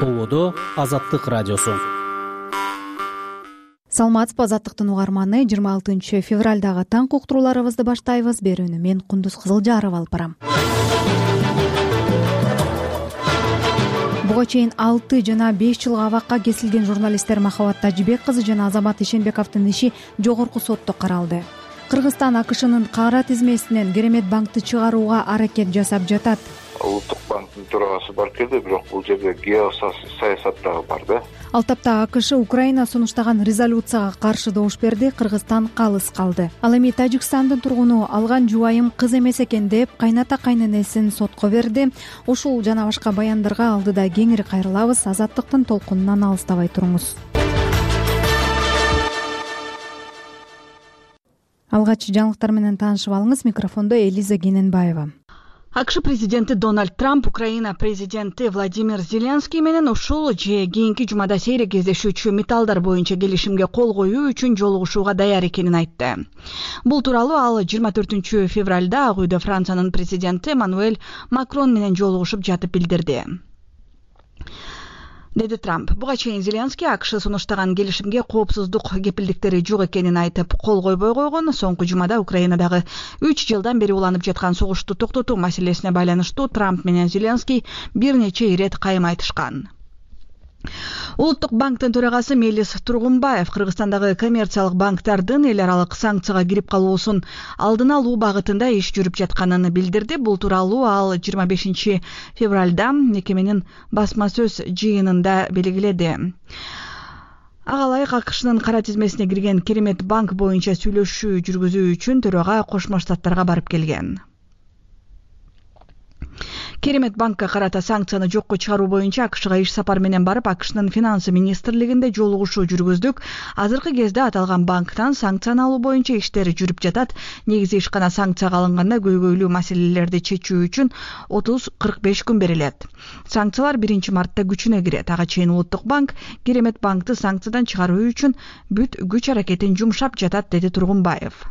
Ободо Азаттык радиосу. Саламатсызбы, Азаттыктын угарманы. 26 февралдагы таңкы уктурууларыбызды баштайбыз. Берүүнү мен Кундуз Кызылжарова алып барам. Буга чейин 6 жана 5 жылга абакка кесилген журналисттер Махабат Тажибек кызы жана Азамат Ишенбековдун иши жогорку сотто каралды. Кыргызстан АКШнын кара тизмесинен Керемет банкты чыгарууга аракет жасап жатат. Улуттук банктын төрагасы бар келди, бирок бул жерде геосаясат дагы бар да. Ал тапта АКШ Украина сунуштаган резолюцияга каршы добуш берди, Кыргызстан калыс калды. Ал эми Тажикстандын тургуну алган жубайым кыз эмес экен деп кайната кайненесин сотко берди. Ушул жана башка баяндарга алдыда кеңири кайрылабыз. Азаттыктын толкунунан алыстабай туруңуз. Алгач жаңылыктар менен таанышып алыңыз. Микрофондо Элиза Гененбаева. АКШ президенти Дональд Трамп Украина президенти Владимир Зеленский менен ушул же кийинки жумада сейрек кездешүүчү металлдар боюнча келишимге кол коюу үчүн жолугушууга даяр экенин айтты. Бул тууралуу ал 24 февралда Ак үйдө Франциянын президенти Эммануэль Макрон менен жолугушуп жатып билдирди, деди Трамп. Буга чейин Зеленский АКШ сунуштаган келишимге коопсуздук кепилдиктери жок экенин айтып, кол койбой койгон. Соңку жумада Украинадагы 3 жылдан бери уланып жаткан согушту токтотуу маселесине байланыштуу Трамп менен Зеленский бир нече ирет кайым айтышкан. Улуттук банктын төрагасы Мелис Тургунбаев Кыргызстандагы коммерциялык банктардын эл аралык санкцияга кирип калуусун алдын алуу багытында иш жүрүп жатканын билдирди. Бул тууралуу ал 25 февралда мекеменин басма сөз жыйынында белгиледи. Ага ылайык АКШнын кара тизмесине кирген Керемет банк боюнча сүйлөшүү жүргүзүү үчүн төрага Кошмо Штаттарга барып келген. Керемет банкка карата санкцияны жокко чыгаруу боюнча АКШга иш сапар менен барып, АКШнын финансы министрлигинде жолугушуу жүргүздүк. Азыркы кезде аталган банктан санкцияны алуу боюнча иштер жүрүп жатат. Негизи ишкана санкцияга алынганда көйгөйлүү маселелерди чечүү үчүн 30-45 күн берилет. Санкциялар 1-мартта күчүнө кирет. Ага чейин Улуттук банк Керемет банкты санкциядан чыгаруу үчүн бүт күч аракетин жумшап жатат, деди Тургунбаев.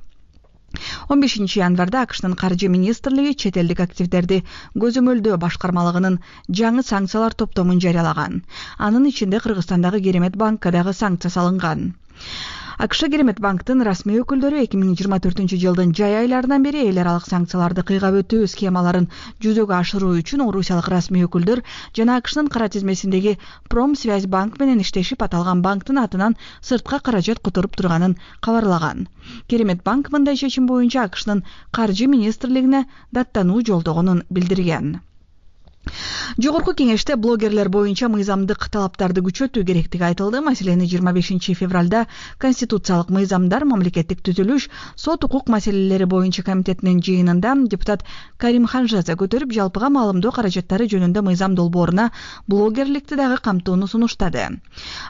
15 январда АКШнын каржы министрлиги чет элдик активдерди көзөмөлдөө башкармалыгынын жаңы санкциялар топтомун жарыялаган. Анын ичинде Кыргызстандагы Керемет банкка дагы санкция салынган. АКШ Керемет банктын расмий өкүлдөрү 2024 жылдын жай айларынан бери эл аралык санкцияларды кыйгап өтүү схемаларын жүзөгө ашыруу үчүн орусиялык расмий өкүлдөр жана АКШнын кара тизмесиндеги Промсвязь банк менен иштешип, аталган банктын атынан сыртка каражат которуп турганын кабарлаган. Керемет банк мындай чечим боюнча АКШнын каржы министрлигине даттануу жолдогонун билдирген. Жогорку кеңеште блогерлер боюнча мыйзамдык талаптарды күчөтүү керектиги айтылды. Маселени 25 февралда Конституциялык мыйзамдар, мамлекеттик түзүлүш, сот укук маселелери боюнча комитетинин жыйынында депутат Карим Ханжаза көтөрүп, жалпыга маалымдоо каражаттары жөнүндө мыйзам долбооруна блогерликти дагы камтууну сунуштады.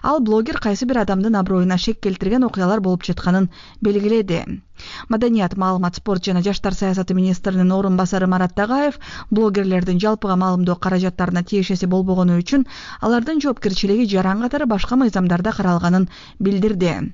Ал блогер кайсы бир адамдын аброюна шек келтирген окуялар болуп жатканын белгиледи. Маданият, маалымат, спорт жана жаштар саясаты министринин орун басары Марат Тагаев блогерлердин жалпыга маалымдоо каражаттарына тиешеси болбогону үчүн алардын жоопкерчилиги жаран катары башка мыйзамдарда каралганын билдирди.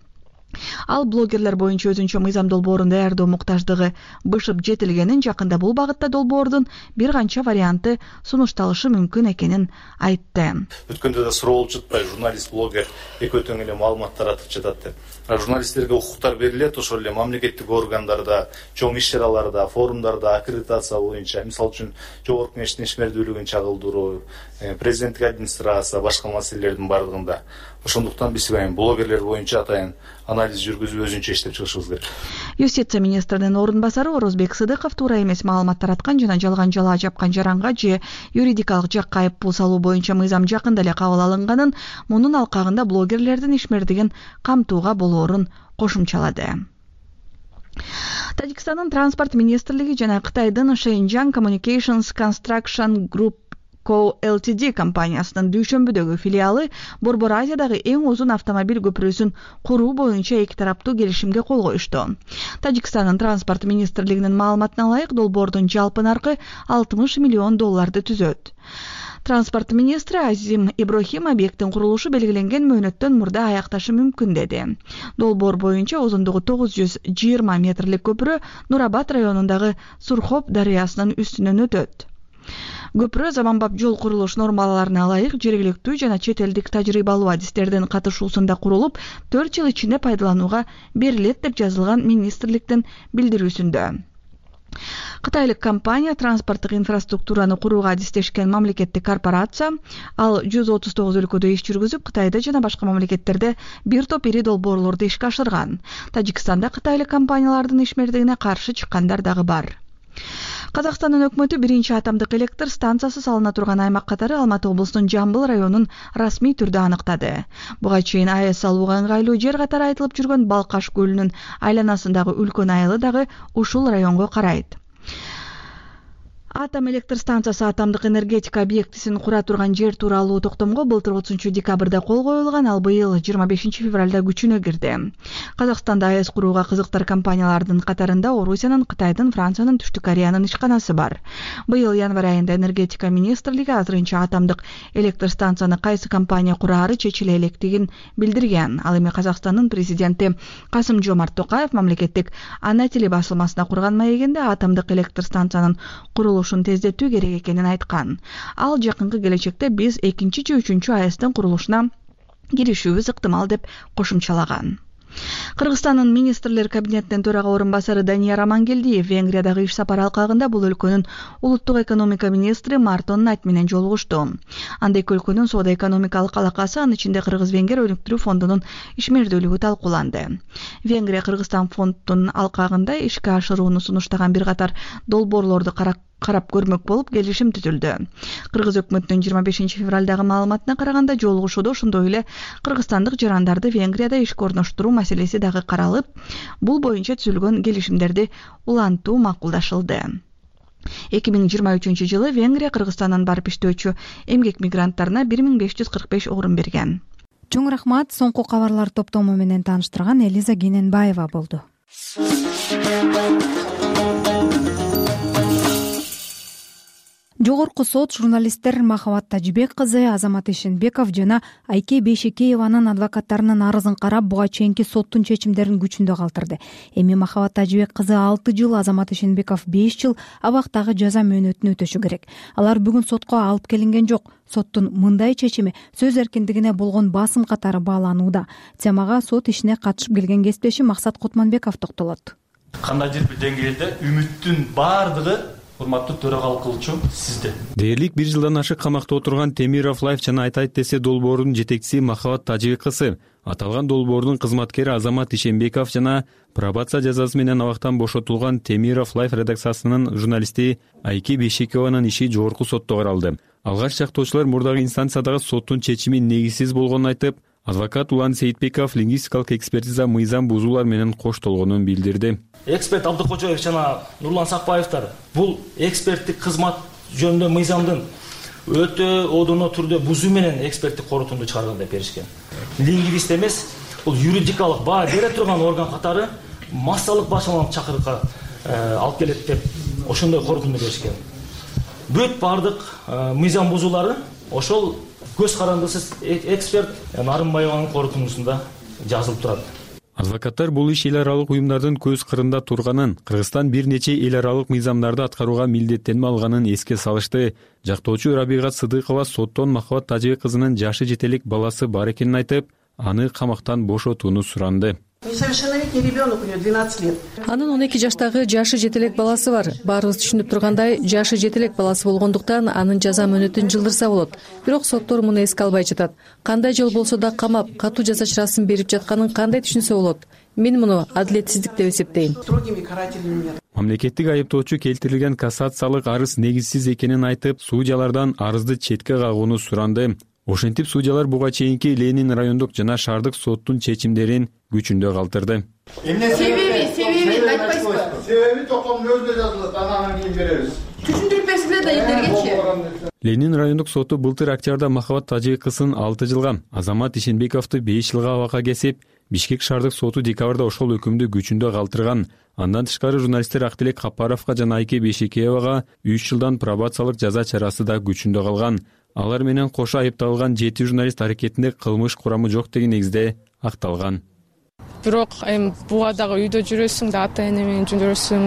Ал блогерлер боюнча өзүнчө мыйзам долбоорун даярдоо муктаждыгы бышып жетилгенин, жакында бул багытта долбоордун бир канча варианты сунушталышы мүмкүн экенин айтты. Өткөндө да суроо болуп жатпайбы, журналист, блогер экөө тең эле маалымат таратып жатат деп. Журналисттерге укуктар берилет, ошол эле мамлекеттик органдарда, чоң иш-чараларда, форумдарда аккредитация боюнча, мисалы үчүн жогорку кеңештин ишмердүүлүгүн чагылдыруу, президенттик администрация, башка маселелердин бардыгында. Ошондуктан биз блогерлер боюнча атайын анализ жүргүзүп өзүнчө иштеп чыгышыбыз керек. Юстиция министринин орун басары Орозбек Сыдыков туура эмес маалымат тараткан жана жалган жалаа жапкан жаранга же юридикалык жакка айыппул салуу боюнча мыйзам жакында эле кабыл алынганын, мунун алкагында блогерлердин ишмердигин камтууга болоорун кошумчалады. Тажикстандын транспорт министрлиги жана Кытайдын Shenzhen Communications Construction Group Co. Ltd компаниясынын дүйшөмбүдөгү филиалы Борбор Азиядагы эң узун автомобиль көпүрөсүн куруу боюнча эки тараптуу келишимге кол коюшту. Тажикстандын транспорт министрлигинин маалыматына ылайык, долбоордун жалпы наркы $60 миллион түзөт. Транспорт министри Азим Иброхим объекттин курулушу белгиленген мөөнөттөн мурда аякташы мүмкүн деди. Долбоор боюнча узундугу 920 метрлик көпүрө Нурабад районундагы Сурхоп дарыясынын үстүнөн өтөт. Көпүрө заманбап жол курулуш нормаларына ылайык жергиликтүү жана чет элдик тажрыйбалуу адистердин катышуусунда курулуп 4 жыл ичинде пайдаланууга берилет деп жазылган министрликтин билдирүүсүндө. Кытайлык компания транспорттук инфраструктураны курууга адистешкен мамлекеттик корпорация. Ал 139 өлкөдө иш жүргүзүп, Кытайда жана башка мамлекеттерде бир топ ири долбоорлорду ишке ашырган. Тажикстанда кытайлык компаниялардын ишмердигине каршы чыккандар дагы бар. Казакстандын өкмөтү биринчи атомдук электр станциясы салына турган аймак катары Алматы облусунун Жамбыл районун расмий түрдө аныктады. Буга чейин АЭС салууга ыңгайлуу жер катары айтылып жүргөн Балкаш көлүнүн айланасындагы үлкөн айылы дагы ушул районго карайт. Атом электр станциясы атомдук энергетика объектисин кура турган жер тууралуу токтомго былтыр 30 декабрда кол коюлган, ал быйыл 25 февралда күчүнө кирди. Казакстанда АЭС курууга кызыктар компаниялардын катарында Орусиянын, Кытайдын, Франциянын, Түштүк Кореянын ишканасы бар. Быйыл январь айында энергетика министрлиги азырынча атомдук электр станцияны кайсы компания кураары чечиле электигин билдирген. Ал эми Казакстандын президенти Касым-Жомарт Токаев мамлекеттик ана тили басылмасына курган маегинде атомдук электр станциянын курулушун тездетүү керек экенин айткан. Ал жакынкы келечекте биз 2 же 3 АЭСтин курулушуна киришүүбүз ыктымал деп кошумчалаган. Кыргызстандын министрлер кабинетинин төрага орун басары Данияр Амангелдиев Венгриядагы иш сапар алкагында бул өлкөнүн улуттук экономика министри Мартон Найт менен жолугушту. Анда эки өлкөнүн соода-экономикалык алакасы, анын ичинде Кыргыз-Венгер өнүктүрүү фондунун ишмердүүлүгү талкууланды. Венгрия Кыргызстан фондунун алкагында ишке ашырууну сунуштаган бир катар долбоорлорду карап көрмөк болуп келишим түзүлдү. Кыргыз өкмөтүнүн 25 февралдагы маалыматына караганда жолугушууда ошондой эле кыргызстандык жарандарды Венгрияда ишке орноштуруу маселеси дагы каралып, бул боюнча түзүлгөн келишимдерди улантуу макулдашылды. 2023 жылы Венгрия Кыргызстандан барып иштөөчү эмгек мигранттарына 1545 орун берген. Чоң рахмат, соңку кабарлар топтому менен тааныштырган Элиза Кененбаева болду. Жогорку сот журналисттер Махабат Тажибек кызы, Азамат Ишенбеков жана Айке Бейшекееванын адвокаттарынын арызын карап, буга чейинки соттун чечимдерин күчүндө калтырды. Эми Махабат Тажибек кызы 6 жыл, Азамат Ишенбеков 5 жыл абактагы жаза мөөнөтүн өтөшү керек. Алар бүгүн сотко алып келинген жок. Соттун мындай чечими сөз эркиндигине болгон басым катары бааланууда. Темага сот ишине катышып келген кесиптешим Максат Кутманбеков токтолот. Кандайдыр бир деңгээлде үмүттүн баардыгы урматтуу төрагалык кылуучу сизде. Дээрлик 1 жылдан ашык камакта отурган Темиров Лайф жана Айтайт десе долбоорунун жетекчиси Махабат Тажибек кызы, аталган долбоордун кызматкери Азамат Ишенбеков жана пробация жазасы менен абактан бошотулган Темиров Лайф редакциясынын журналисти Айке Бейшекееванын иши жогорку сотто каралды. Алгач жактоочулар мурдагы инстанциядагы соттун чечими негизсиз болгонун айтып, адвокат Улан Сейитбеков лингвистикалык экспертиза мыйзам бузуулар менен коштолгонун билдирди. Эксперт Абдыкожоев жана Нурлан Сакбаевтар бул эксперттик кызмат жөнүндө мыйзамдын өтө одоно түрдө бузуу менен эксперттик корутунду чыгарган деп беришкен. Лингвист эмес, бул юридикалык баа бере турган орган катары массалык башаланып чакырыкка алып келет деп ошондой корутунду беришкен. Бүт бардык мыйзам бузуулары ошол көз карандысыз эксперт Нарымбаеванын корутундусунда жазылып турат. Адвокаттар бул иш эл аралык уюмдардын көз кырында турганын, Кыргызстан бир нече эл аралык мыйзамдарды аткарууга милдеттенме алганын эске салышты. Жактоочу Рабига Сыдыкова соттон Махабат Тажибек кызынын жашы жетелик баласы бар экенин айтып, аны камактан бошотууну суранды. Несовершеннолетний ребенок, у него 12 лет. Анын 12 жаштагы жашы жетелек баласы бар. Баарыбыз түшүнүп тургандай, жашы жетелек баласы болгондуктан анын жаза мөөнөтүн жылдырса болот. Бирок соттор муну эске албай жатат. Кандай жол болсо да камап, катуу жаза чарасын берип жатканын кандай түшүнсө болот? Мен муну адилетсиздик деп эсептейм. Строгими карательными. Мамлекеттик айыптоочу келтирилген кассациялык арыз негизсиз экенин айтып, судьялардан арызды четке кагууну суранды. Ошентип судьялар буга чейинки Ленин райондук жана шаардык соттун чечимдерин күчүндө калтырды. Себеби айтпайсызбы? Себеби токтомдун өзүндө жазылат, анан кийин беребиз. Түшүндүрүп да элдергечи. Ленин райондук соту былтыр октябрда Махабат Тажибек кызын 6 жылга, Азамат Ишенбековду 5 жылга абакка кесип, Бишкек шаардык соту декабрда ошол өкүмдү күчүндө калтырган. Андан тышкары журналисттер Актилек Капаровго жана Айке Бейшекеевага 3 жылдан пробациялык жаза чарасы да күчүндө калган. Алар менен кошо айыпталган 7 журналист аракетинде кылмыш курамы жок деген негизде акталган. бирок эми буга дагы үйдө жүрөсүң да, ата эне менен жүрөсүң,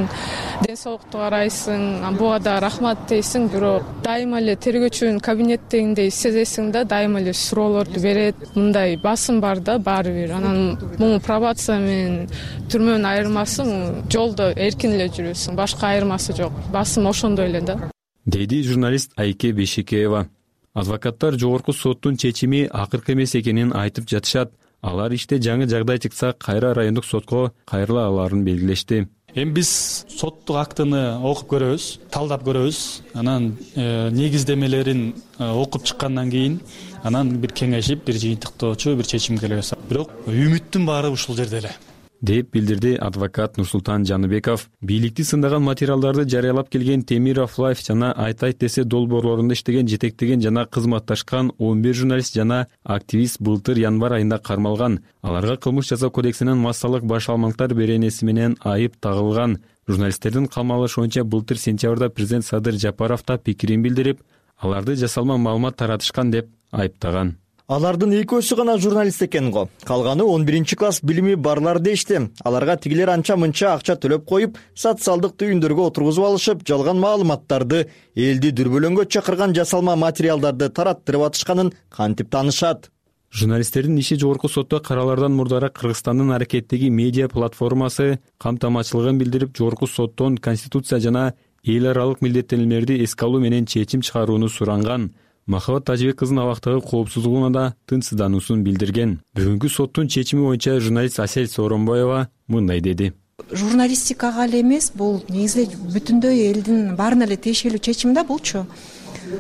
ден соолукту карайсың, буга да рахмат дейсиң, бирок дайыма эле тергөөчүнүн кабинеттегиндей сезесиң да, дайыма эле суроолорду берет, мындай басым бар да баары бир. Анан могу пробация менен түрмөнүн айырмасы жолдо эркин эле жүрөсүң, башка айырмасы жок. Басым ошондой эле да, деди журналист Айке Бешикеева. Адвокаттар жогорку соттун чечими акыркы эмес экенин айтып жатышат. Алар иште жаңы жагдай чыкса кайра райондук сотко кайрыла аларын белгилешти. Эми биз соттук актыны окуп көрөбүз, талдап көрөбүз. Анан негиздемелерин окуп чыккандан кийин анан бир кеңешип, бир жыйынтыктоочу бир чечимге келебиз. Бирок үмүттүн баары ушул жерде эле, деп билдирди адвокат Нурсултан Жаныбеков. Бийликти сындаган материалдарды жарыялап келген Темиров Лайф жана Айтайт десе долбоорлорунда иштеген, жетектеген жана кызматташкан 11 журналист жана активист былтыр январь айында кармалган. Аларга кылмыш жаза кодексинин массалык баш алмактар беренеси менен айып тагылган. Журналисттердин камалышуунча былтыр сентябрда президент Садыр Жапаров да пикирин билдирип, аларды жасалма маалымат таратышкан деп айыптаган. Алардын экөөсү гана журналист экен го. Калганы 11-класс билими барлар дешти. Аларга тигилер анча-мынча акча төлөп коюп, социалдык түйүндөргө отургузуп алышып, жалган маалыматтарды, элди дүрбөлөңгө чакырган жасалма материалдарды тараттырып атышканын кантип таанышат. Журналисттердин иши жогорку сотто каралардан мурдара Кыргызстандын аракеттеги медиа платформасы камтамачылыгын билдирип, жогорку соттон конституция жана эл аралык милдеттенүүлөрдү эске алуу менен чечим чыгарууну суранган. Махабат Тажибек кызынын абактагы коопсуздугуна да тынчсыздануусун билдирген. Бүгүнкү соттун чечими боюнча журналист Асель Сооронбаева мындай деди. Журналистикага эле эмес, бул негизи бүтүндөй элдин баарына эле тиешелүү чечим да булчу.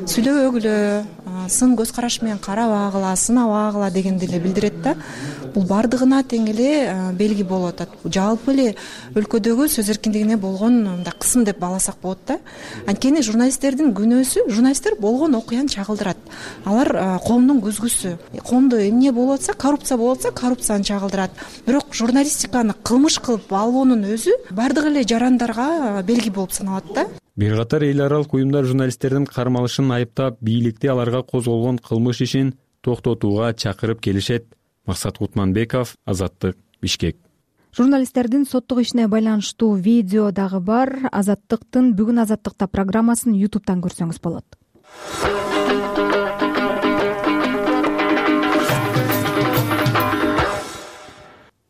Сүйлөбөгүлө, сын көз караш менен карабагыла, сынабагыла дегенди эле билдирет да. Бул бардыгына тең эле белги болуп атат. Жалпы эле өлкөдөгү сөз эркиндигине болгон мындай кысым деп бааласак болот да. Анткени журналисттердин күнөөсү, журналисттер болгон окуяны чагылдырат. Алар коомдун көзгүсү. Коомдо эмне болуп атса, коррупция болуп атса, коррупцияны чагылдырат. Бирок журналистиканы кылмыш кылып албоонун өзү бардык эле жарандарга белги болуп саналат да. Бир катар эл аралык уюмдар журналисттердин кармалышын айыптап, бийликти аларга козголгон кылмыш ишин токтотууга чакырып келишет. Максат Кутманбеков, Азаттык, Бишкек. Журналисттердин соттук ишине байланыштуу видео дагы бар. Азаттыктын бүгүн Азаттыкта программасын YouTube'дан көрсөңүз болот.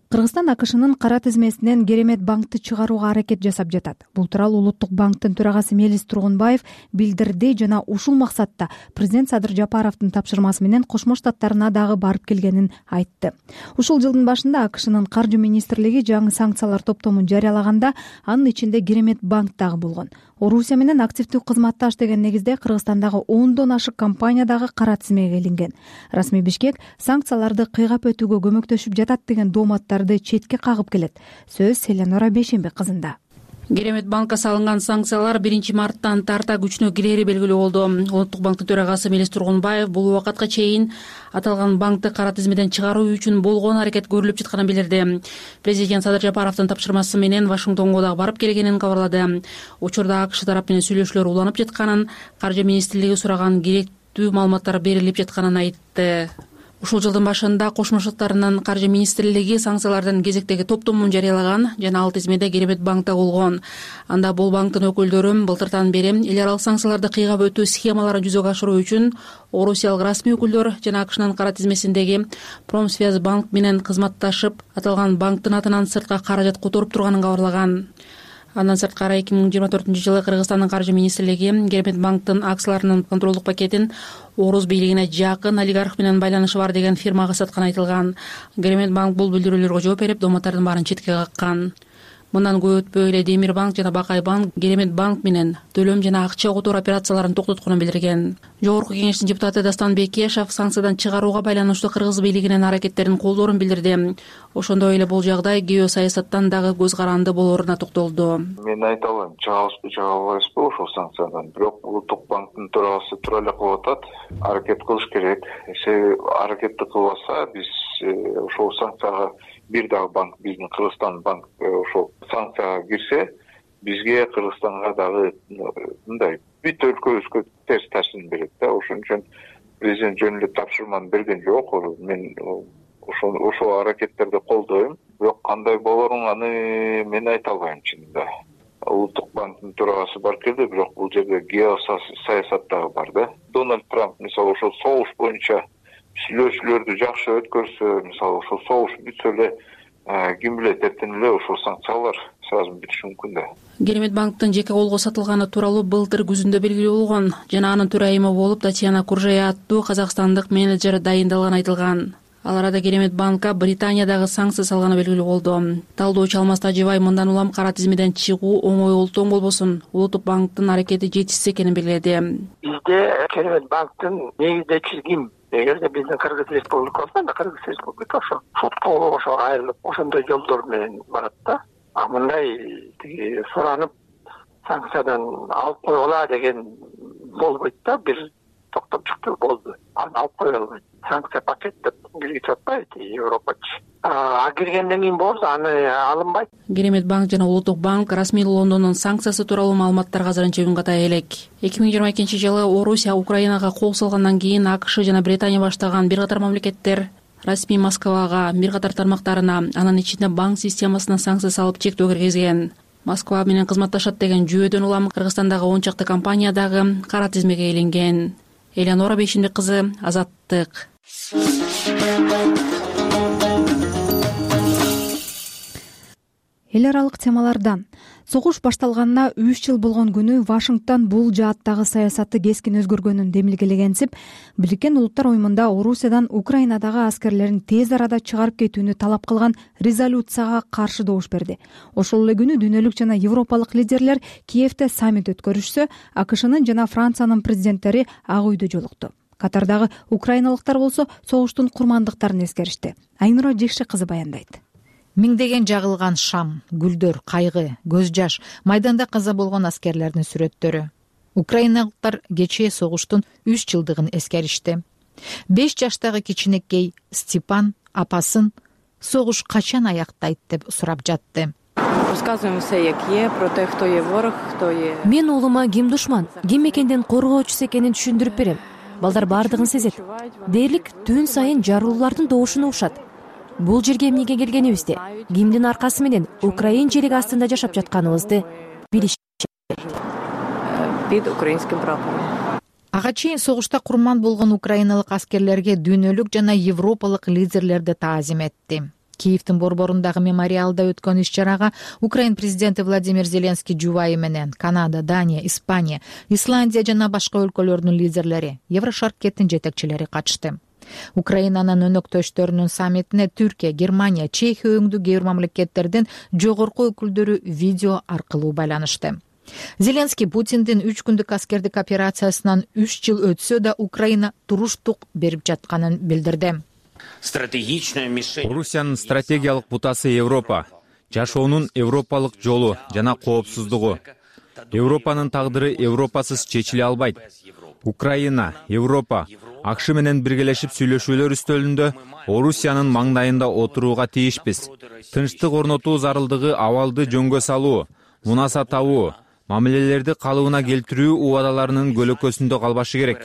Кыргызстан АКШнын кара тизмесинен Керемет банкты чыгарууга аракет жасап жатат. Бул тууралуу Улуттук банктын төрагасы Мелис Тургунбаев билдирди жана ушул максатта президент Садыр Жапаровдун тапшырмасы менен Кошмо Штаттарына дагы барып келгенин айтты. Ушул жылдын башында АКШнын каржы министрлиги жаңы санкциялар топтомун жарыялаганда анын ичинде Керемет банк дагы болгон. Орусия менен активдүү кызматташ деген негизде Кыргызстандагы 10дон ашык компания дагы кара тизмеге илинген. Расмий Бишкек санкцияларды кыйгап өтүүгө көмөктөшүп жатат деген дооматтарды четке кагып келет. Сөз Селенора Бейшембек кызында. Керемет банкка салынган санкциялар 1-марттан тарта күчүнө кирери белгилүү болду. Улуттук банктын төрагасы Мелис Тургунбаев бул убакытка чейин аталган банкты кара тизмеден чыгаруу үчүн болгон аракет көрүлүп жатканын билдирди. Президент Садыр Жапаровдун тапшырмасы менен Вашингтонго дагы барып келгенин кабарлады. Учурда АКШ тарап менен сүйлөшүүлөр уланып жатканын, каржы министрлиги сураган керектүү маалыматтар берилип жатканын айтты. Ушул жылдын башында Кошмо Штаттарынын каржы министрлиги санкциялардын кезектеги топтомун жарыялаган жана ал тизмеде Керемет банкта болгон. Анда бул банктын өкүлдөрү былтыртан бери эл аралык санкцияларды кыйгап өтүү схемаларын жүзөгө ашыруу үчүн орусиялык расмий өкүлдөр жана АКШнын кара тизмесиндеги Промсвязь банк менен кызматташып, аталган банктын атынан сыртка каражат которуп турганын кабарлаган. Андан сырткары 2024-жылы Кыргызстандын каржы министрлиги Керемет банктын акцияларынын контролдук пакетин Орус бийлигине жакын олигарх менен байланышы бар деген фирмага сатканы айтылган. Керемет банк бул билдирүүлөргө жооп берип, дооматтардын баарын четке каккан. Мындан көп өтпөй эле Демир банк жана Бакай банк Керемет банк менен төлөм жана акча которуу операцияларын токтотконун билдирген. Жогорку кеңештин депутаты Дастан Бекешев санкциядан чыгарууга байланыштуу кыргыз бийлигинин аракеттерин колдоорун билдирди. Ошондой эле бул жагдай геосаясаттан дагы көз каранды болооруна токтолду. Мен айта алам, чыгабызбы, чыга албайбызбы ошол санкциядан. Бирок Улуттук банктын төрагасы туура эле кылып атат. Аракет кылыш керек. Аракетти кылбаса биз ошол санкцияга бир дагы банк, биздин Кыргызстан банк ошол санкцияга кирсе, бизге Кыргызстанга дагы мындай бүт өлкөбүзгө терс таасирин берет да. Ошон үчүн президент жөн эле тапшырманы берген жок. Мен ошол аракеттерди колдойм. Бирок кандай болорун аны мен айта албайм чынында. Улуттук банктын төрагасы бар келди, бирок бул жерде геосаясат дагы бар да. Дональд Трамп мисалы ошол согуш боюнча сүйлөшүүлөрдү жакшы өткөрсө, мисалы ошол согуш бүтсө эле ким билет эртең эле ошол санкциялар сразу бүтүшү мүмкүн да. Керемет банктын жеке колго сатылганы тууралуу былтыр күзүндө белгилүү болгон жана анын төрайымы болуп Татьяна Куржая аттуу казакстандык менеджер дайындалганы айтылган. Ал арада Керемет банкка Британиядагы санкция салганы белгилүү болду. Талдоочу Алмаз Тажибай мындан улам кара тизмеден чыгуу оңой олтоң болбосун, Улуттук банктын аракети жетишсиз экенин белгиледи. Бизде Керемет банктын негиздечиси ким? Эгерде биздин Кыргыз Республикасы, Кыргыз Республика сотко ошо айрылып, ошондой жолдор менен барат да. Мындай суранып санкциядан алып койгула деген болбойт да, бир токтоп чыктуу болду. Аны алып кое албайт. Санкция пакет деп киргизип атпайбы Европачы. Киргенден кийин болсо аны алынбайт. Керемет банк жана Улуттук банк расмий Лондондун санкциясы тууралуу маалыматтарга азырынча үн ката элек. 2022-жылы Орусия Украинага кол салгандан кийин АКШ жана Британия баштаган бир катар мамлекеттер расмий Москвага, бир катар тармактарына, анын ичинде банк системасына санкция салып чектөө киргизген. Москва менен кызматташат деген жүйөдөн улам Кыргызстандагы 10 чакты компания дагы кара тизмеге илинген. Элеонора Бейшимбек кызы, Азаттык. Эл аралык темалардан согуш башталганына 3 жыл болгон күнү Вашингтон бул жааттагы саясаты кескин өзгөргөнүн демилгелегенсип, Бириккен Улуттар уюмунда Орусиядан Украинадагы аскерлерин тез арада чыгарып кетүүнү талап кылган резолюцияга каршы добуш берди. Ошол эле күнү дүйнөлүк жана европалык лидерлер Киевде саммит өткөрүшсө, АКШнын жана Франциянын президенттери Ак үйдө жолукту. Катардагы украиналыктар болсо согуштун курмандыктарын эскеришти. Айнура Жекше кызы баяндайт. Миңдеген жагылган шам, гүлдөр, кайгы, көз жаш, майданда каза болгон аскерлердин сүрөттөрү. Украиналыктар кечээ согуштун 3 жылдыгын эскеришти. 5 жаштагы кичинекей Степан апасын согуш качан аяктайт деп сурап жатты. Мен уулума ким душман, ким мекендин коргоочусу экенин түшүндүрүп берем. Балдар бардыгын сезет. Дээрлик түн сайын жарылуулардын добушун угушат. Бул жерге эмнеге келгенибизди, кимдин аркасы менен Украин жериги астында жашап жатканыбызды билишет. Ага чейин согушта курман болгон украиналык аскерлерге дүйнөлүк жана европалык лидерлерди таазим этти. Киевдин борборундагы мемориалда өткөн иш-чарага Украин президенти Владимир Зеленский жубайы менен Канада, Дания, Испания, Исландия жана башка өлкөлөрдүн лидерлери, Еврошаркеттин жетекчилери катышты. Украинанын өнөктөштөрүнүн саммитине Түркия, Германия, Чехия өңдүү кээ бир мамлекеттердин жогорку өкүлдөрү видео аркылуу байланышты. Зеленский Путиндин 3 күндүк аскердик операциясынан 3 жыл өтсө да Украина туруштук берип жатканын билдирди. Орусиянын стратегиялык бутасы Европа, жашоонун европалык жолу жана коопсуздугу. Европанын тагдыры европасыз чечиле албайт. Украина, Европа, АКШ менен биргелешип сүйлөшүүлөр үстөлүндө Орусиянын маңдайында отурууга тийишпиз. Тынчтык орнотуу зарылдыгы абалды жөнгө салуу, мунаса табуу, мамилелерди калыбына келтирүү убадаларынын көлөкөсүндө калбашы керек.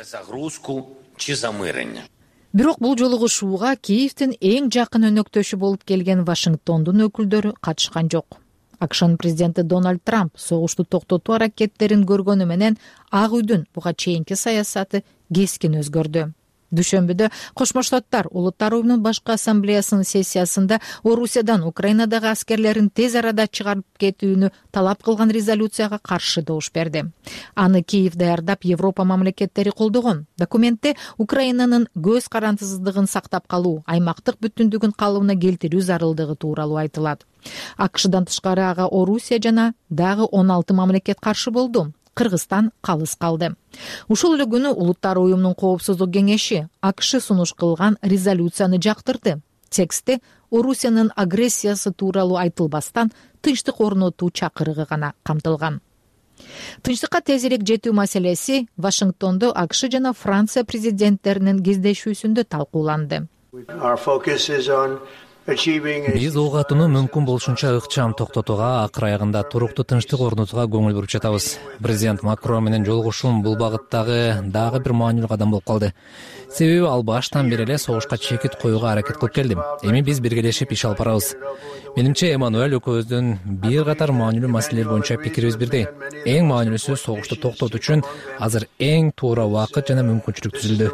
Бирок бул жолугушууга Киевдин эң жакын өнөктөшү болуп келген Вашингтондун өкүлдөрү катышкан жок. АКШнын президенти Дональд Трамп согушту токтотуу аракеттерин көргөнү менен Ак үйдүн буга чейинки саясаты кескин өзгөрдү. Дүйшөмбүдө Кошмо Штаттар Улуттар уюмунун башкы ассамблеясынын сессиясында Орусиядан Украинадагы аскерлерин тез арада чыгарып кетүүнү талап кылган резолюцияга каршы добуш берди. Аны Киев даярдап Европа мамлекеттери колдогон. Документте Украинанын көз карандысыздыгын сактап калуу, аймактык бүтүндүгүн калыбына келтирүү зарылдыгы тууралуу айтылат. АКШдан тышкары ага Орусия жана дагы 16 мамлекет каршы болду. Кыргызстан калыс калды. Ушул эле күнү Улуттар уюмунун коопсуздук кеңеши АКШ сунуш кылган резолюцияны жактырды. Текстте Орусиянын агрессиясы тууралуу айтылбастан тынчтык орнотуу чакырыгы гана камтылган. Тынчтыкка тезирээк жетүү маселеси Вашингтондо АКШ жана Франция президенттеринин кездешүүсүндө талкууланды. Биз ок атууну мүмкүн болушунча ыкчам токтотууга, акыр аягында туруктуу тынчтык орнотууга көңүл буруп жатабыз. Президент Макрон менен жолугушуум бул багыттагы дагы бир маанилүү кадам болуп калды. Себеби ал баштан бери эле согушка чекит коюуга аракет кылып келди. Эми биз биргелешип иш алып барабыз. Менимче Эммануэль экөөбүздүн бир катар маанилүү маселелер боюнча пикирибиз бирдей. Эң маанилүүсү согушту токтотуу үчүн азыр эң туура убакыт жана мүмкүнчүлүк түзүлдү,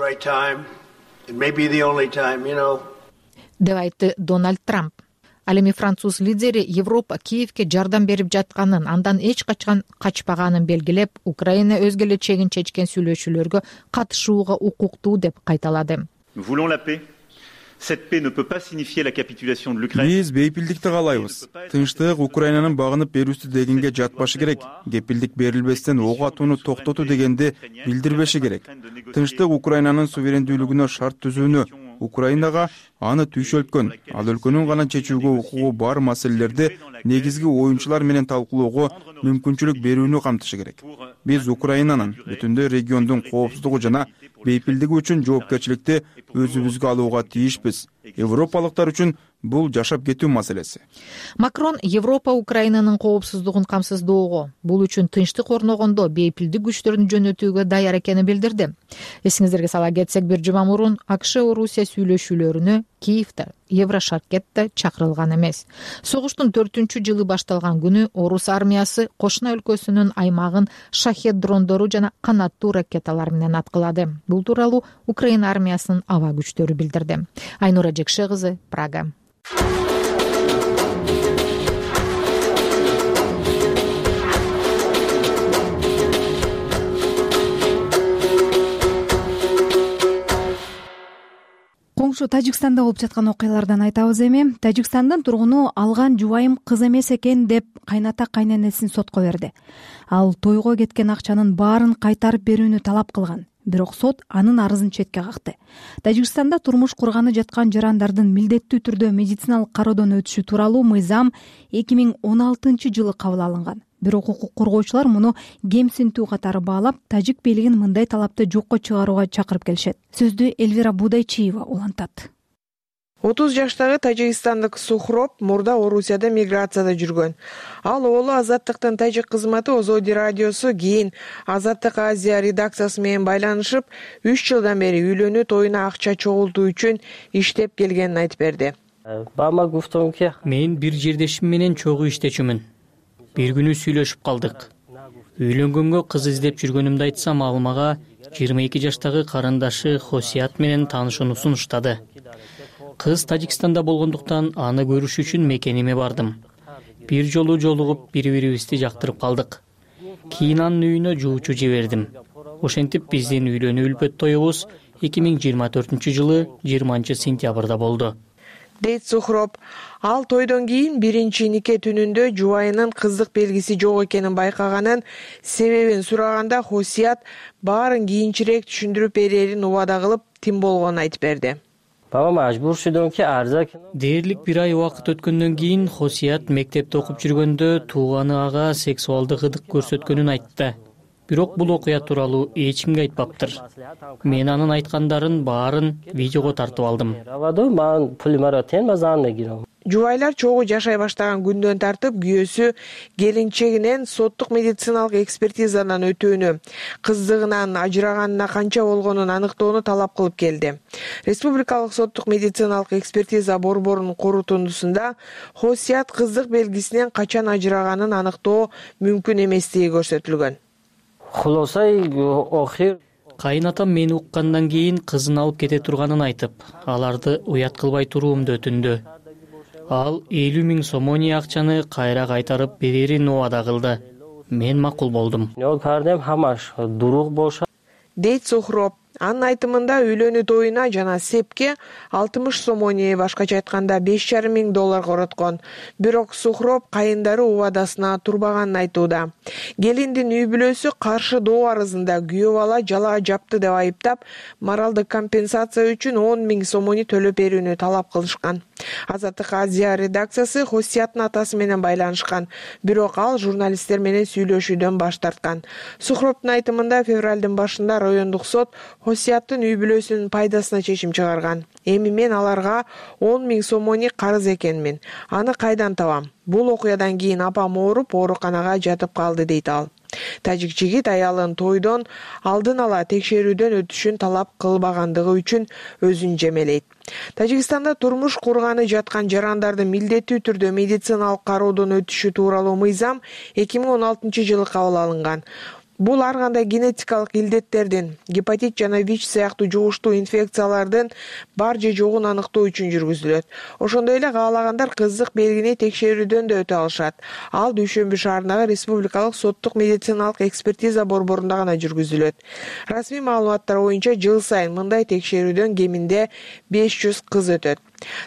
деп айтты Дональд Трамп. Ал эми француз лидери Европа Киевке жардам берип жатканын, андан эч качан качпаганын белгилеп, Украина өзгө эле чегин чечкен сүйлөшүүлөргө катышууга укуктуу деп кайталады. Биз бейпилдикти каалайбыз. Тынчтык Украинанын багынып берүүсү дегенге жатпашы керек. Кепилдик берилбестен ок атууну токтотуу дегенди билдирбеши керек. Тынчтык Украинанын суверендүүлүгүнө шарт түзүүнү, Украинага аны түйшөлткөн, ал өлкөнүн гана чечүүгө укугу бар маселелерди негизги оюнчулар менен талкуулоого мүмкүнчүлүк берүүнү камтышы керек. Биз Украинанын бүтүндөй региондун коопсуздугу жана бейпилдиги үчүн жоопкерчиликти өзүбүзгө алууга тийишпиз. Европалыктар үчүн бул жашап кетүү маселеси. Макрон Европа Украинанын коопсуздугун камсыздоого, бул үчүн тынчтык орногондо бейпилдик күчтөрүн жөнөтүүгө даяр экенин билдирди. Эсиңиздерге сала кетсек, бир жума мурун АКШ-Орусия сүйлөшүүлөрүнө Киевде, Еврошаркетте чакырылган эмес. Согуштун 4-жылы башталган күнү Орус армиясы кошуна өлкөсүнүн аймагын шахед дрондору жана канаттуу ракеталар менен аткылады. Бул тууралуу Украина армиясынын аба күчтөрү билдирди. Айнура Жекше кызы, Прага. Коңшу Тажикстанда болуп жаткан окуялардан айтабыз эми. Тажикстандын тургуну алган жубайым кыз эмес экен деп кайната кайненесин сотко берди. Ал тойго кеткен акчанын баарын кайтарып берүүнү талап кылган. Бирок сот анын арызын четке какты. Тажикстанда турмуш курганы жаткан жарандардын милдеттүү түрдө медициналык кароодон өтүшү тууралуу мыйзам 2016-жылы кабыл алынган. Бирок укук коргоочулар муну кемсинтүү катары баалап, тажик бийлигин мындай талапты жокко чыгарууга чакырып келишет. Сөздү Эльвира Будайчиева улантат. 30 жаштагы тажикстандык Сухроб мурда Орусияда миграцияда жүргөн. Ал оолу Азаттыктын тажик кызматы Озоди радиосу кийин Азаттык Азия редакциясы менен байланышып, 3 жылдан бери үйлөнүү тоюна акча чогултуу үчүн иштеп келгенин айтып берди. Мен бир жердешим менен чогуу иштечүмүн. Бир күнү сүйлөшүп калдык. Үйлөнгөнгө кыз издеп жүргөнүмдү айтсам, ал мага 22 жаштагы карындашы Хосият менен таанышууну сунуштады. Кыз Тажикстанда болгондуктан аны көрүш үчүн мекениме бардым. Бир жолу жолугуп, бири-бирибизди жактырып калдык. Кийин анын үйүнө жуучу жибердим. Ошентип биздин үйлөнүү үлпөт тоюбуз 2024-жылы 20-сентябрда болду. Дейт Сухроб. Ал тойдон кийин биринчи нике түнүндө жубайынын кыздык белгиси жок экенин байкаганын, себебин сураганда Хосият баарын кийинчерээк түшүндүрүп берерин убада кылып, тим болгонун айтып берди. Дээрлик бир ай убакыт өткөндөн кийин Хосият мектепте окуп жүргөндө тууганы ага сексуалдык ырдык көрсөткөнүн айтты. Бирок бул окуя тууралуу эч кимге айтпаптыр. Мен анын айткандарын баарын видеого тартып алдым. Жубайлар чогуу жашай баштаган күндөн тартып күйөөсү келинчегинен соттук медициналык экспертизадан өтүүнү, кыздыгынан ажыраганына канча болгонун аныктоону талап кылып келди. Республикалык соттук медициналык экспертиза борборунун корутундусунда Хосият кыздык белгисинен качан ажыраганын аныктоо мүмкүн эместиги көрсөтүлгөн. Кайнатам мени уккандан кийин кызын алып кете турганын айтып, аларды уят кылбай туруумду өтүндү. Ал 50 000 сомони акчаны кайра кайтарып берерин убада кылды. Мен макул болдум. Дейт Сухроб. Анын айтымында үйлөнүү тоюна жана сепке 60 сомони, башкача айтканда $5,500 короткон. Бирок Сухроб кайындары убадасына турбаганын айтууда. Келиндин үй бүлөсү каршы доо арызында күйөө бала жалаа жапты деп айыптап, моралдык компенсация үчүн 10 000 сомони төлөп берүүнү талап кылышкан. Азаттык Азия редакциясы Хосияттын атасы менен байланышкан, бирок ал журналисттер менен сүйлөшүүдөн баш тарткан. Сухроптун айтымында февралдын башында райондук сот Хосияттын үй бүлөсүнүн пайдасына чечим чыгарган. Эми мен аларга 10 000 сомони карыз экенмин. Аны кайдан табам? Бул окуядан кийин апам ооруп, ооруканага жатып калды, дейт ал. Тажик жигит аялын тойдон алдын ала текшерүүдөн өтүшүн талап кылбагандыгы үчүн өзүн жемелейт. Тажикстанда турмуш курганы жаткан жарандардын милдеттүү түрдө медициналык кароодон өтүшү тууралуу мыйзам 2016-жылы кабыл алынган. Бул ар кандай генетикалык илдеттердин, гепатит жана ВИЧ сыяктуу жугуштуу инфекциялардын бар же жогун аныктоо үчүн жүргүзүлөт. Ошондой эле каалагандар кыздык белгини текшерүүдөн да өтө алышат. Ал Дүйшөмбү шаарындагы Республикалык соттук медициналык экспертиза борборунда гана жүргүзүлөт. Расмий маалыматтар боюнча жыл сайын мындай текшерүүдөн кеминде 500 кыз өтөт.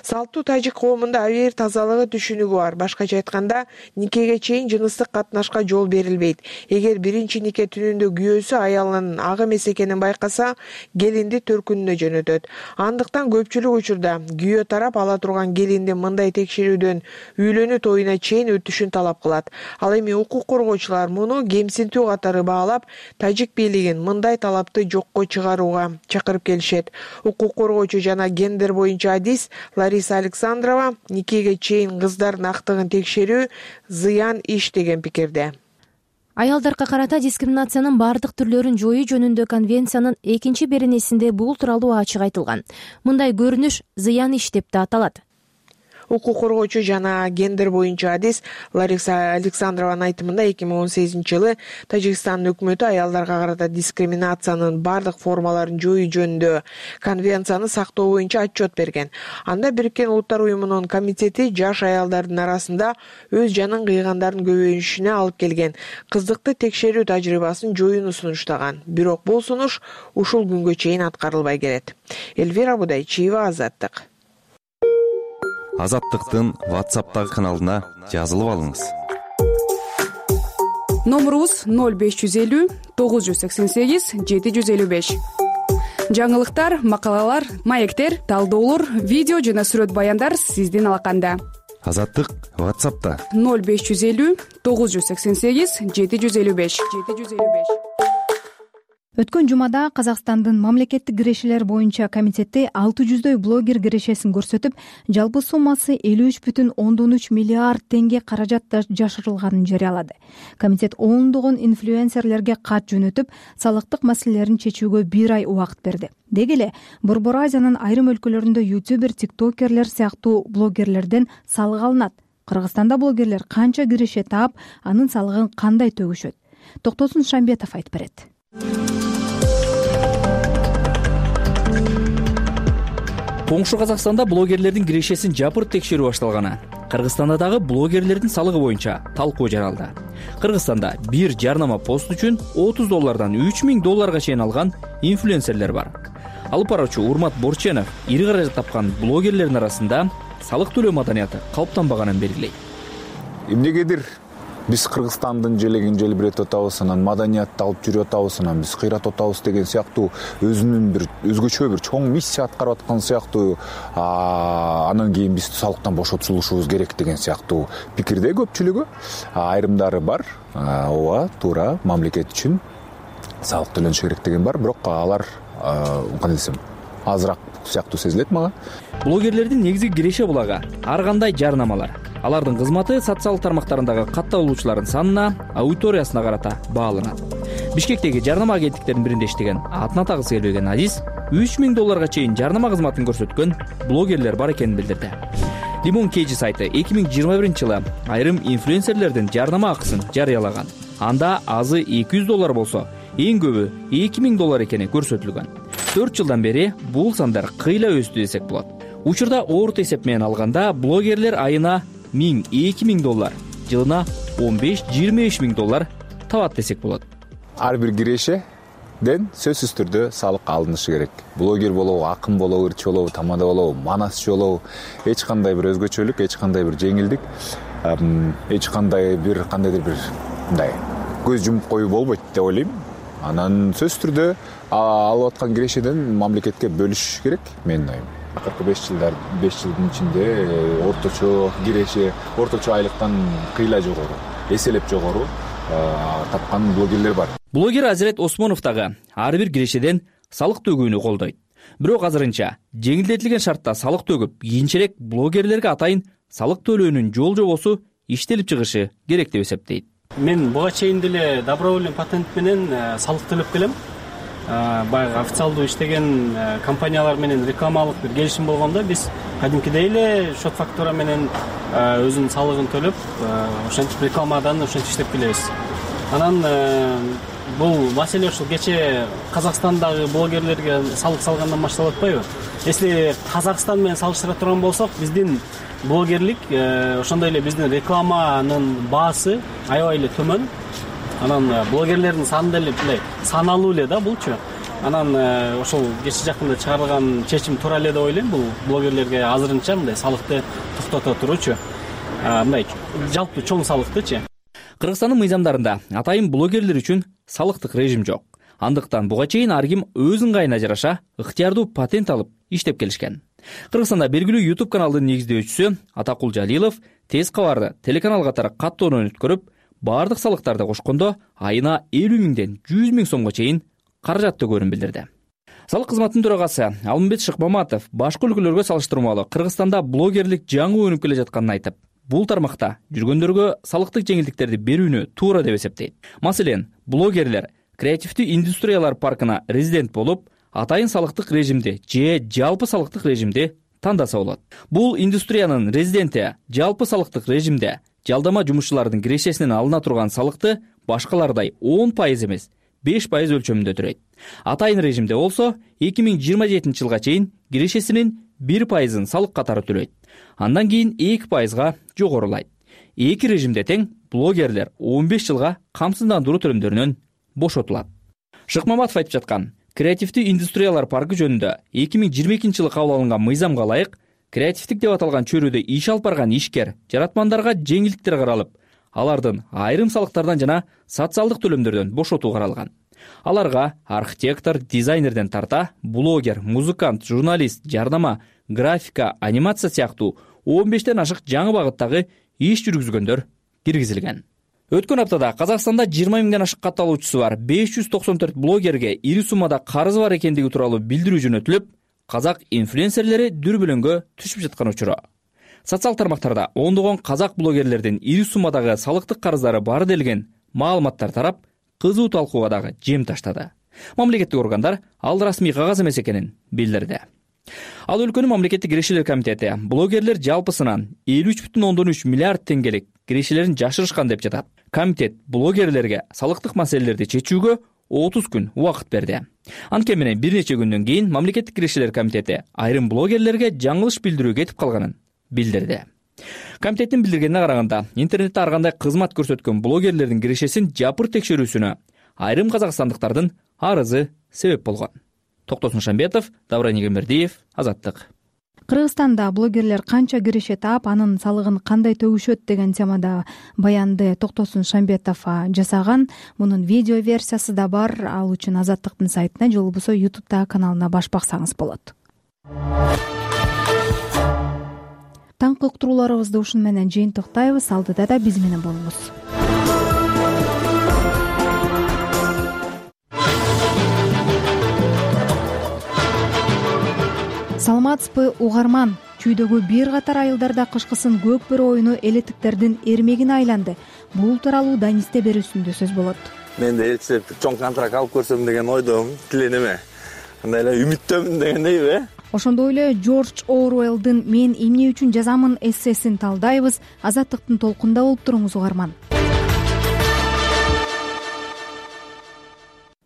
Салттуу тажик коомунда абийир тазалыгы түшүнүгү бар. Башкача айтканда, никеге чейин жыныстык катнашка жол берилбейт. Эгер биринчи нике түнүндө күйөөсү аялынын ак эмес экенин байкаса, келинди төркүнүнө жөнөтөт. Андыктан көпчүлүк учурда күйөө тарап ала турган келиндин мындай текшерүүдөн үйлөнүү тоюна чейин өтүшүн талап кылат. Ал эми укук коргоочулар муну кемсинтүү катары баалап, тажик бийлигин мындай талапты жокко чыгарууга чакырып келишет. Укук коргоочу жана гендер боюнча адис Лариса Александрова никеге чейин кыздардын актыгын текшерүү зыян иш деген пикирде. Аялдарга карата дискриминациянын бардык түрлөрүн жоюу жөнүндө конвенциянын 2-беренесинде бул тууралуу ачык айтылган. Мындай көрүнүш зыян иш деп да аталат. Укук коргоочу жана гендер боюнча адис Лариса Александрованын айтымында 2018-жылы Тажикстандын өкмөтү аялдарга карата дискриминациянын бардык формаларын жоюу жөнүндө конвенцияны сактоо боюнча отчет берген. Анда Бириккен Улуттар уюмунун комитети жаш аялдардын арасында өз жанын кыйгандардын көбөйүшүнө алып келген кыздыкты текшерүү тажрыйбасын жоюуну сунуштаган. Бирок бул сунуш ушул күнгө чейин аткарылбай келет. Эльвира Будайчиева, Азаттык. Азаттыктын WhatsApp'тагы каналына жазылып алыңыз. Номерубуз 0550 988 755. Жаңылыктар, макалалар, маектер, талдоолор, видео жана сүрөт баяндар сиздин алаканда. Азаттык WhatsApp'та 0550 988 755. Өткөн жумада Казакстандын мамлекеттик кирешелер боюнча комитети 600дөй блогер кирешесин көрсөтүп, жалпы суммасы 53,3 миллиард теңге каражат жашырылганын жарыялады. Комитет ондогон инфлюенсерлерге кат жөнөтүп, салыктык маселелерин чечүүгө 1 ай убакыт берди. Деги эле Борбор Азиянын айрым өлкөлөрүндө ютубер, тиктокерлер сыяктуу блогерлерден салык алынат. Кыргызстанда блогерлер канча киреше таап, анын салыгын кандай төгүшөт? Токтосун Шамбетов айтып берет. Коңшу Казакстанда блогерлердин кирешесин жапырып текшерүү башталганы. Кыргызстанда дагы блогерлердин салыгы боюнча талкуу жаралды. Кыргызстанда бир жарнама пост үчүн $30 $3000 чейин алган инфлюенсерлер бар. Алып баруучу Урмат Борченов ири каражат тапкан блогерлердин арасында салык төлөө маданияты калыптанбаганын белгилейт. Эмнегедир биз Кыргызстандын желегин желбиретип атабыз, анан маданиятты алып жүрүп атабыз, анан биз кыйратып атабыз деген сыяктуу өзүнүн бир өзгөчө бир чоң миссия аткарып аткан сыяктуу, анан кийин биз салыктан бошотулушубуз керек деген сыяктуу пикирде көпчүлүгү. Айрымдары бар, ооба, туура, мамлекет үчүн салык төлөнүшү керек деген бар, бирок алар кандай десем, азыраак сыяктуу сезилет мага. Блогерлердин негизги киреше булагы ар кандай жарнамалар. Алардын кызматы социалдык тармактарындагы катталуучулардын санына, аудиториясына карата бааланат. Бишкектеги жарнама агенттиктеринин биринде иштеген, атын атагысы келбеген Азиз $3000 чейин жарнама кызматын көрсөткөн блогерлер бар экенин билдирди. Limon KG сайты 2021-жылы айрым инфлюенсерлердин жарнама акысын жарыялаган. Анда азы $200 болсо, эң көбү $2000 экени көрсөтүлгөн. 4 жылдан бери бул сандар кыйла өстү десек болот. Учурда орто эсеп менен алганда блогерлер айына $1000-2000, жылына $15-25,000 табат десек болот. Ар бир кирешеден сөзсүз түрдө салык алынышы керек. Блогер болобу, акын болобу, ырчы болобу, тамада болобу, манасчы болобу, эч кандай бир өзгөчөлүк, эч кандай бир жеңилдик, эч кандай бир кандайдыр бир мындай көз жумуп коюу болбойт деп ойлойм. Анан сөзсүз түрдө алып аткан кирешеден мамлекетке бөлүш керек, менин оюм. акыркы 5 жылдын ичинде орточо киреше, орточо айлыктан кыйла жогору, эселеп жогору тапкан блогерлер бар. Блогер Азирет Осмонов дагы ар бир кирешеден салык төгүүнү колдойт. Бирок азырынча жеңилдетилген шартта салык төгүп, кийинчерээк блогерлерге атайын салык төлөөнүн жол-жобосу иштелип чыгышы керек деп эсептейт. Мен буга чейин деле добровольный патент менен салык төлөп келем. Баягы официалдуу иштеген компаниялар менен рекламалык бир келишим болгондо биз кадимкидей эле счет фактура менен өзүнүн салыгын төлөп, ошентип рекламадан ошентип иштеп келебиз. Анан бул маселе ушул кече Казакстандагы блогерлерге салык салгандан башталып атпайбы? Если Казакстан менен салыштыра турган болсок, биздин блогерлик ошондой эле биздин рекламанын баасы аябай эле төмөн. Анан блогерлердин саны деле мындай саналуу эле да булчу. Анан ошол кече жакында чыгарылган чечим туура эле деп ойлойм. Бул блогерлерге азырынча мындай салыкты токтото туручу. Мындай жалпы чоң салыктычы. Кыргызстандын мыйзамдарында атайын блогерлер үчүн салыктык режим жок. Андыктан буга чейин ар ким өз ыңгайына жараша ыктыярдуу патент алып иштеп келишкен. Кыргызстанда белгилүү YouTube каналдын негиздөөчүсү Атакул Жалилов тез кабарды телеканал катары каттоодон өткөрүп, бардык салыктарды кошкондо айына 50 миңден 100 миң сомго чейин каражат төгөөрүн билдирди. Салык кызматынын төрагасы Алмамбет Шыкмаматов башка өлкөлөргө салыштырмалуу Кыргызстанда блогерлик жаңы өнүп келе жатканын айтып, бул тармакта жүргөндөргө салыктык жеңилдиктерди берүүнү туура деп эсептейт. Маселен, блогерлер креативдүү индустриялар паркына резидент болуп, атайын салыктык режимди же жалпы салыктык режимди тандаса болот. Бул индустриянын резиденти жалпы салыктык режимде жалдама жумушчулардын кирешесинен алына турган салыкты башкалардай 10% эмес, 5% өлчөмүндө төлөйт. Атайын режимде болсо 2027 жылга чейин кирешесинин 1%-ын салык катары төлөйт. Андан кийин 2%га жогорулайт. Эки режимде тең блогерлер 15 жылга камсыздандыруу төлөмдөрүнөн бошотулат. Шыкмаматов айтып жаткан креативдүү индустриялар паркы жөнүндө 2022 жылы кабыл алынган мыйзамга ылайык креативдик деп аталган чөйрөдө иш алып барган ишкер жаратмандарга жеңилдиктер каралып, алардын айрым салыктардан жана социалдык төлөмдөрдөн бошотуу каралган. Аларга архитектор, дизайнерден тарта, блогер, музыкант, журналист, жардама, графика, анимация сыяктуу 15тен ашык жаңы багыттагы иш жүргүзгөндөр киргизилген. Өткөн аптада Казакстанда 20 миңден ашык катталуучусу бар 594 блогерге ири суммада карызы бар экендиги тууралуу билдирүү жөнөтүлүп, казак инфлюенсерлери дүрбөлөңгө түшүп жаткан учуру. Социал тармактарда ондогон казак блогерлердин ири суммадагы салыктык карыздары бар делген маалыматтар тарап, кызуу талкууга дагы жем таштады. Мамлекеттик органдар ал расмий кагаз эмес экенин билдирди. Ал өлкөнүн мамлекеттик кирешелер комитети блогерлер жалпысынан 53,3 миллиард теңгелик кирешелерин жашырышкан деп жатат. Комитет блогерлерге салыктык маселелерди чечүүгө 30 күн убакыт берди. Анткени менен бир нече күндөн кийин мамлекеттик кирешелер комитети айрым блогерлерге жаңылыш билдирүү кетип калганын билдирди. Комитеттин билдиргенине караганда, интернетте ар кандай кызмат көрсөткөн блогерлердин кирешесин жапыр текшерүүсүнө айрым казакстандыктардын арызы себеп болгон. Токтосун Шамбетов, Давран Егембердиев, Азаттык. Кыргызстанда блогерлер канча киреше таап, анын салыгын кандай төгүшөт деген темада баянды Токтосун Шамбетов жасаган. Мунун видео версиясы да бар. Ал үчүн Азаттыктын сайтына же болбосо YouTube'дагы каналына баш баксаңыз болот. Таңкы уктурууларыбызды ушун менен жыйынтыктайбыз. Алдыда да биз менен болуңуз. Саламатсызбы угарман? Чүйдөгү бир катар айылдарда кышкысын көк бөрү оюну элетиктердин эрмегине айланды. Бул тууралуу Данисте берүүсүндө сөз болот. Мен да элчилеп чоң контракт алып көрсөм деген ойдомун, тиленеме. Кандай эле үмүттөмүн дегендейби? Ошондой эле Джордж Оруэллдин "Мен эмне үчүн жазамын" эссесин талдайбыз. Азаттыктын толкунда болуп туруңуз угарман.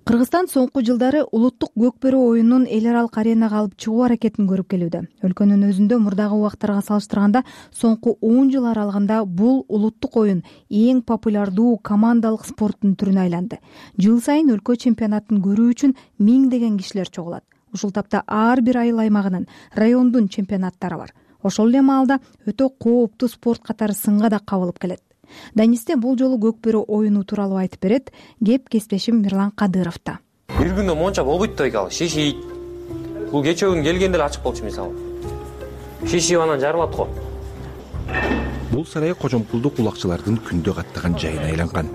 Кыргызстан соңку жылдары улуттук көкбөрү оюнунун эл аралык аренага алып чыгуу аракетин көрүп келүүдө. Өлкөнүн өзүндө мурдагы убактарга салыштырганда соңку 10 жыл аралыгында бул улуттук оюн эң популярдуу командалык спорттун түрүнө айланды. Жыл сайын өлкө чемпионатын көрүү үчүн миңдеген кишилер чогулат. Ушул тапта ар бир айыл аймагынын, райондун чемпионаттары бар. Ошол эле маалда өтө кооптуу спорт катары сынга да кабылып келет. Данисте бул жолу көкбөрү оюну тууралуу айтып берет. Кеп кесиптешим Мирлан Кадыровда. Бир күндө монча болбойт да экен, ал шишийт. Бул кечээ күн келгенде эле ачык болчу мисалы. шишип анан жарылат го. Бул сарай кожомкулдук улакчылардын күндө каттаган жайына айланган.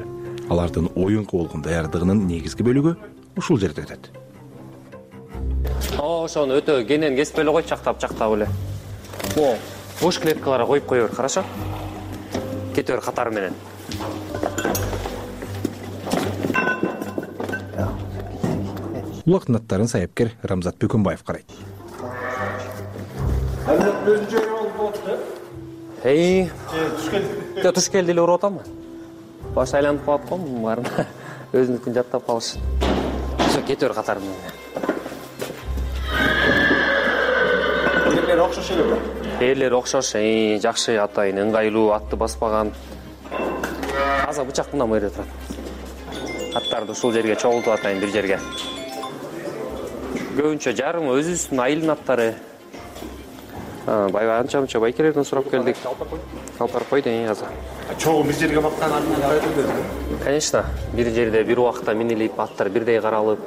Алардын оюнга болгон даярдыгынын негизги бөлүгү ушул жерде өтөт. Ошону өтө кенен кесип эле кой, чактап эле. Бош клеткаларга коюп кое бер, хорошо? Кете бер катары менен. Улактын аттарын саяпкер Рамзат Бөкөнбаев карайт. Туш келди эле уруп атамбы? Баш айланып калат го, баарын өзүнүкүн жаттап калыш. Ошо кете бер катары менен. Ээлери окшош элеби? Ээлери окшош, жакшы атайын, ыңгайлуу, атты баспаган. Азыр бычак мындан бери турат. Аттарды ушул жерге чогултуп атайын, бир жерге. Көбүнчө жарым өзүбүздүн айылдын аттары. Баягы анча-мынча байкелерден сурап келдик. Калпар койду азыр. Чогуу бир жерге баккан Конечно, бир жерде бир убакта минилип, аттар бирдей каралып,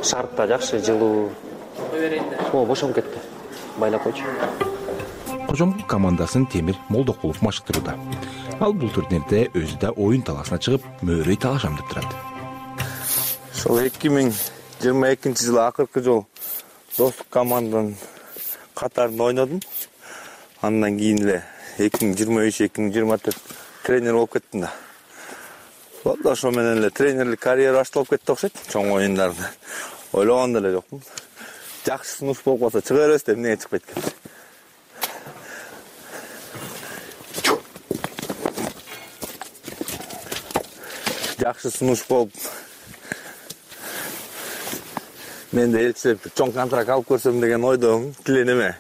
шартта жакшы жылуу. Бошоп кетти. Байлап койчу. Кожомкул командасын Темир Молдокулов машыктырууда. Ал бул турнирде өзү да оюн таласына чыгып, мөөрөй талашам деп турат. Ошол 2022-жылы акыркы жолу достук команданын катарында ойнодум. Андан кийин эле 2023-2024 тренер болуп кеттим да. Болду, ошо менен эле тренерлик карьера башталып кетти окшойт. Чоң оюндарда ойлогон деле жокмун. Жакшы сунуш болуп калса чыга беребиз деп эмнеге чыкпайт экен. Жакшы сунуш болуп мен да элчилеп чоң контракт алып көрсөм деген ойдомун, тиленеме.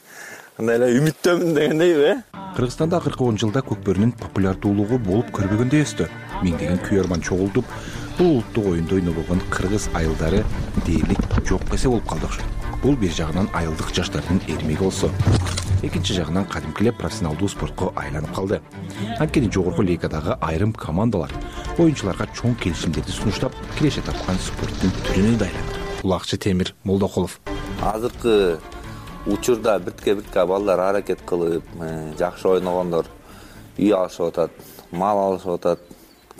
Андай эле үмүттөмүн дегендейби? Кыргызстанда акыркы 10 жылда көкбөрүнүн популярдуулугу болуп көрбөгөндөй өстү. Миңдеген күйөрман чогултуп, бул улуттук оюнду ойнобогон кыргыз айылдары дээрлик жок эсе болуп калды окшойт. Бул бир жагынан айылдык жаштардын эрмеги болсо, экинчи жагынан кадимкилеп профессионалдуу спортко айланып калды. Анткени жогорку лигадагы айрым командалар оюнчуларга чоң келишимдерди сунуштап, киреше тапкан спорттун түрүнө да айланды. Улакчы Темир Молдокулов. Азыркы учурда биртке балдар аракет кылып, жакшы ойногондор үй алышып атат, мал алышып атат,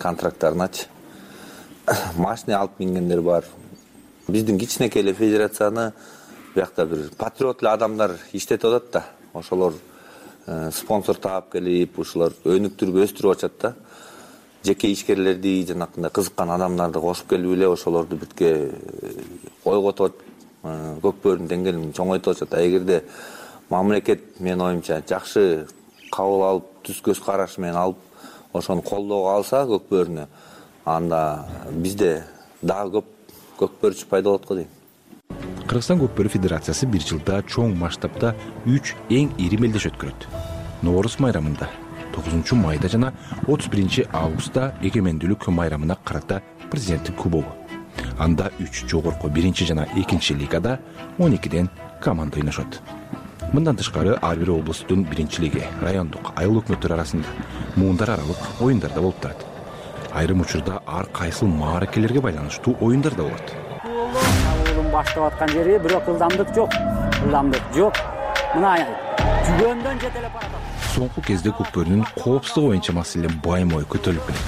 контракттарыначы. Машина алып мингендер бар. Биздин кичинекей эле федерацияны биякта бир патриот эле адамдар иштетип атат да. Ошолор спонсор таап келип, ушулар өнүктүрүп өстүрүп атат да. Жеке ишкерлерди, жанакындай кызыккан адамдарды кошуп келип эле ошолорду биртке ойготуп көкбөрүнүн деңгээлин чоңойтуп атат. Эгерде мамлекет менин оюмча жакшы кабыл алып, түз көз караш менен алып, ошону колдоого алса көкбөрүнү, анда бизде дагы көп көкбөрүчү пайда болот го дейм. Кыргызстан көкбөрү федерациясы бир жылда чоң масштабта 3 эң ири мелдеш өткөрөт. Нооруз майрамында, 9 майда жана 31 августта эгемендүүлүк майрамына карата президенттик кубогу. Анда 3 жогорку 1 жана 2 лигада 12ден команда ойношот. Мындан тышкары ар бир облустун 1-лиги, райондук айыл өкмөттөр арасында муундар аралык оюндар да болуп турат. Айрым учурда ар кайсыл мааракелерге байланыштуу оюндар да болот. Баштап аткан жери бирок ылдамдык жок. Мына жүгөндөн жете эле барат. Соңку кезде көкбөрүнүн коопсуздугу боюнча маселе баймой көтөрүлүп келет.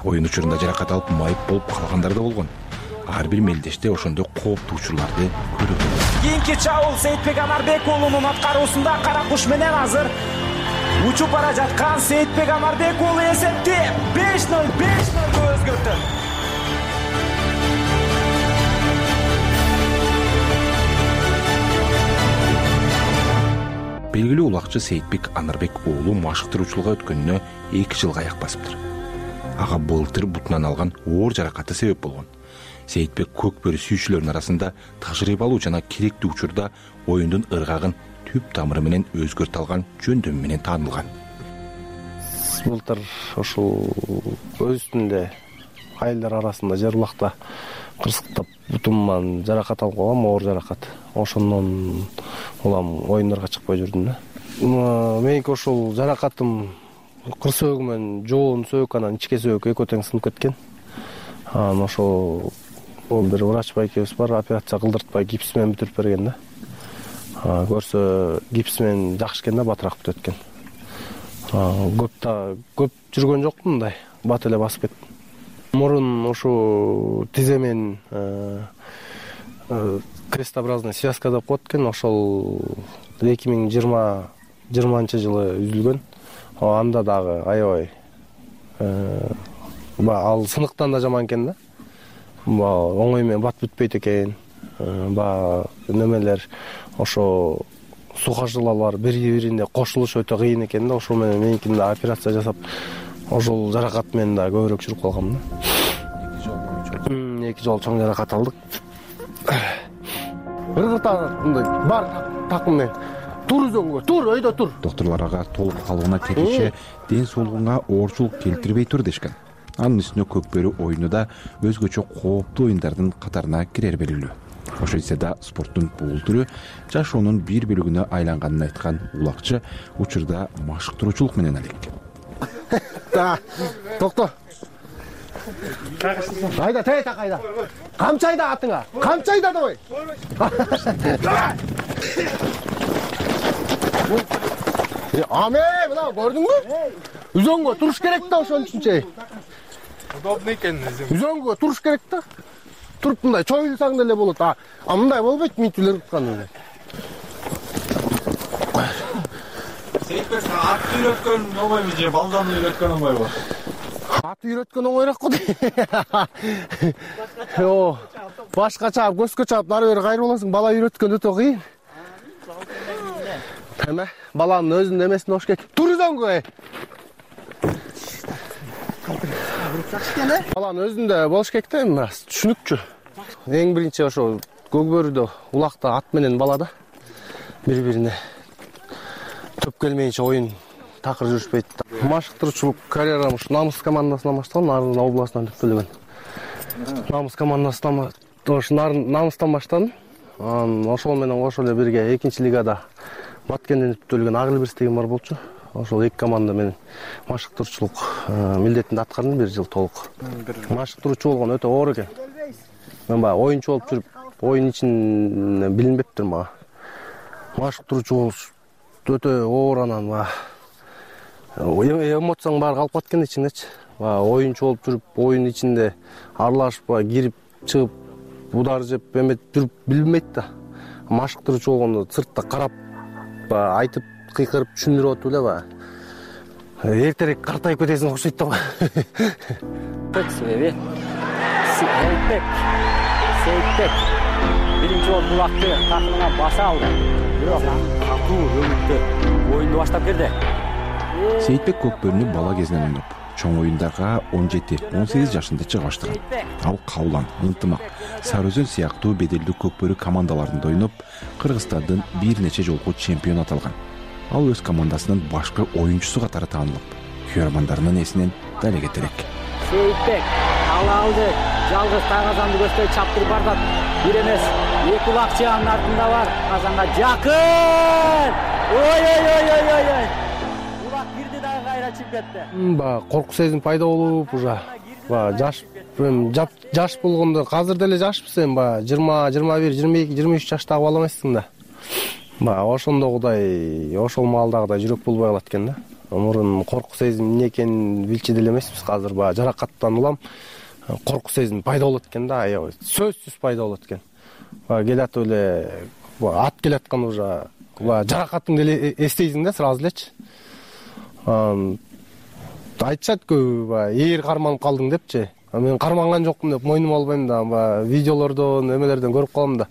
Оюн учурунда жаракат алып майып болуп калгандар да болгон. Ар бир мелдеште ошондой кооптуу учурларды көрөбүз. Кийинки чабуул Сейитбек Амарбек уулунун аткаруусунда кара куш менен азыр учуп бара жаткан Сейитбек Амарбек уулу эсепти 5-0 өзгөртөт. Белгилүү улакчы Сейитбек Анарбек уулу машыктыруучулукка өткөнүнө 2 жылга аяк басыптыр. Ага былтыр бутунан алган оор жаракаты себеп болгон. Сейитбек көкбөрү сүйүүчүлөрүнүн арасында тажрыйбалуу жана керектүү учурда оюндун ыргагын түп тамыры менен өзгөртө алган жөндөмү менен таанылган. Былтыр ошол өзүндө айылдар арасында жер булакта кырсыктап бутуман жаракат алып калгам, оор жаракат. Ошондон улам оюндарга чыкпай жүрдүм да. Меники ошол жаракатым кыр сөөгү менен жоон сөөк анан ичке сөөк экөө тең сынып кеткен. Анан ошол бир врач байкебиз бар, операция кылдыртпай гипс менен бүтүрүп берген да. көрсө гипс менен жакшы экен да, батыраак бүтөт экен. Көп жүргөн жокмун, мындай бат эле басып кеттим. Мурун ушу тиземен крестообразный связка деп коет экен, ошол 2020-жылы үзүлгөн. Анда дагы аябай ал сыныктан да жаман экен да. Оңой менен бат бүтпөйт экен. Немелер ошо сухожилалар бири-бирине кошулушу өтө кыйын экен да. Ошол менен меникинде операция жасап, ошол жаракат менен да көбүрөөк жүрүп калгам да. 2 жолу чоң жаракат алдык. Мындай бар такым менен тур өзөнгө, тур, өйдө тур. Докторлор ага толук калыбына келиши ден соолугуңа оорчулук келтирбей тур дешкен. Анын үстүнө көкбөрү оюну да өзгөчө кооптуу оюндардын катарына кирер белгилүү. Ошо эсе да спорттун бул түрү жашоонун бир бөлүгүнө айланганын айткан улакчы учурда машыктыруучулук менен алек. Токто. Айда, тейта кайда. Камчайда атыңа. Камчайда давай. Аме, мына көрдүңбү? Үзөнгө туруш керек да, ошон үчүнчө. Удобный экен. Үзөнгө туруш керек да. Туруп мындай чоюлсаң деле болот. Мындай болбойт, митүлөр уткан. Сейтбек ат үйрөткөн оңойбу же балдан үйрөткөн оңойбу? Ат үйрөткөн оңойраак го. Башка чаап, көзгө чаап, нары бери кайрып аласың. Бала үйрөткөн өтө кыйын. Эме, баланын өзүнүн эмесин ош керек. Тур үзөнгө. Баланын өзүндө болуш керек да, эми түшүнүкчү. Эң биринчи ошо көкбөрүдө улакта ат менен бала да бири-бирине төп келмейинче оюн такыр жүрүшпөйт. Машыктыруучулук карьерам ушу Намыс командасынан башталган, Нарын областынан түптөлгөн. Намыс командасынан Намыстан баштадым. Ошол менен кошо эле бирге 2-лигада Баткенден түптөлгөн Агылбирс деген бар болчу. Ошол 2 команда менен машыктыруучулук милдетинде аткардым 1 жыл толук. Машыктыруучу болгон өтө оор экен. Мен баягы оюнчу болуп жүрүп, оюн ичин билинбептир мага. Машыктыруучу болуш өтө оор, анан эмоцияң баары калып кеткен ичиндечи. Оюнчу болуп жүрүп, оюн ичинде аралашып, кирип, чыгып, удар жеп, эметип жүрүп билбейт да. Машыктыруучу болгондо сыртта карап, айтып, кыйкырып түшүндүрүп атып эле эртерээк картайып кетесиң окшойт да. Сейтбек биринчи болуп булакты такымына баса алды. Бирок катуу өмүттө оюнду баштап келди. Сейтбек көкбөрүнү бала кезинен ойноп, чоң оюндарга 17-18 жашында чыга баштаган. Ал Каулан, Ынтымак, Сары Өзөн сыяктуу беделдүү көкбөрү командаларында ойноп, Кыргызстандын бир нече жолку чемпион аталган. Ал өз командасынын башкы оюнчусу катары таанылып, күйөрмандарынын эсинен дале кетерек. Сейтбек алды, жалгыз Казанды көздөй чаптырып бардат. Бир эмес, 2 улакчы анын артында бар. Казанга жакын. Ой. Улак кирди дагы кайра чыгып кетти. Корку сезим пайда болуп, уже жаш болгондо, азыр деле жашпыз эми 20, 21, 22, 23 жаштагы бала эмессиң да. Ошондогудай, ошол маалдагыдай жүрөк болбой калат экен да. Мурун корку сезим эмне экенин билчү деле эмеспиз. Азыр жаракаттан улам корку сезим пайда болот экен да, аябай сөзсүз пайда болот экен. Келатып эле ат келаткан уже жаракатыңды деле эстейсиң да сразу элечи. Айтышат көбү, эгер карманып калдың депчи. Мен карманган жокмун деп мойнума албайм да, видеолордон, эмелерден көрүп калам да.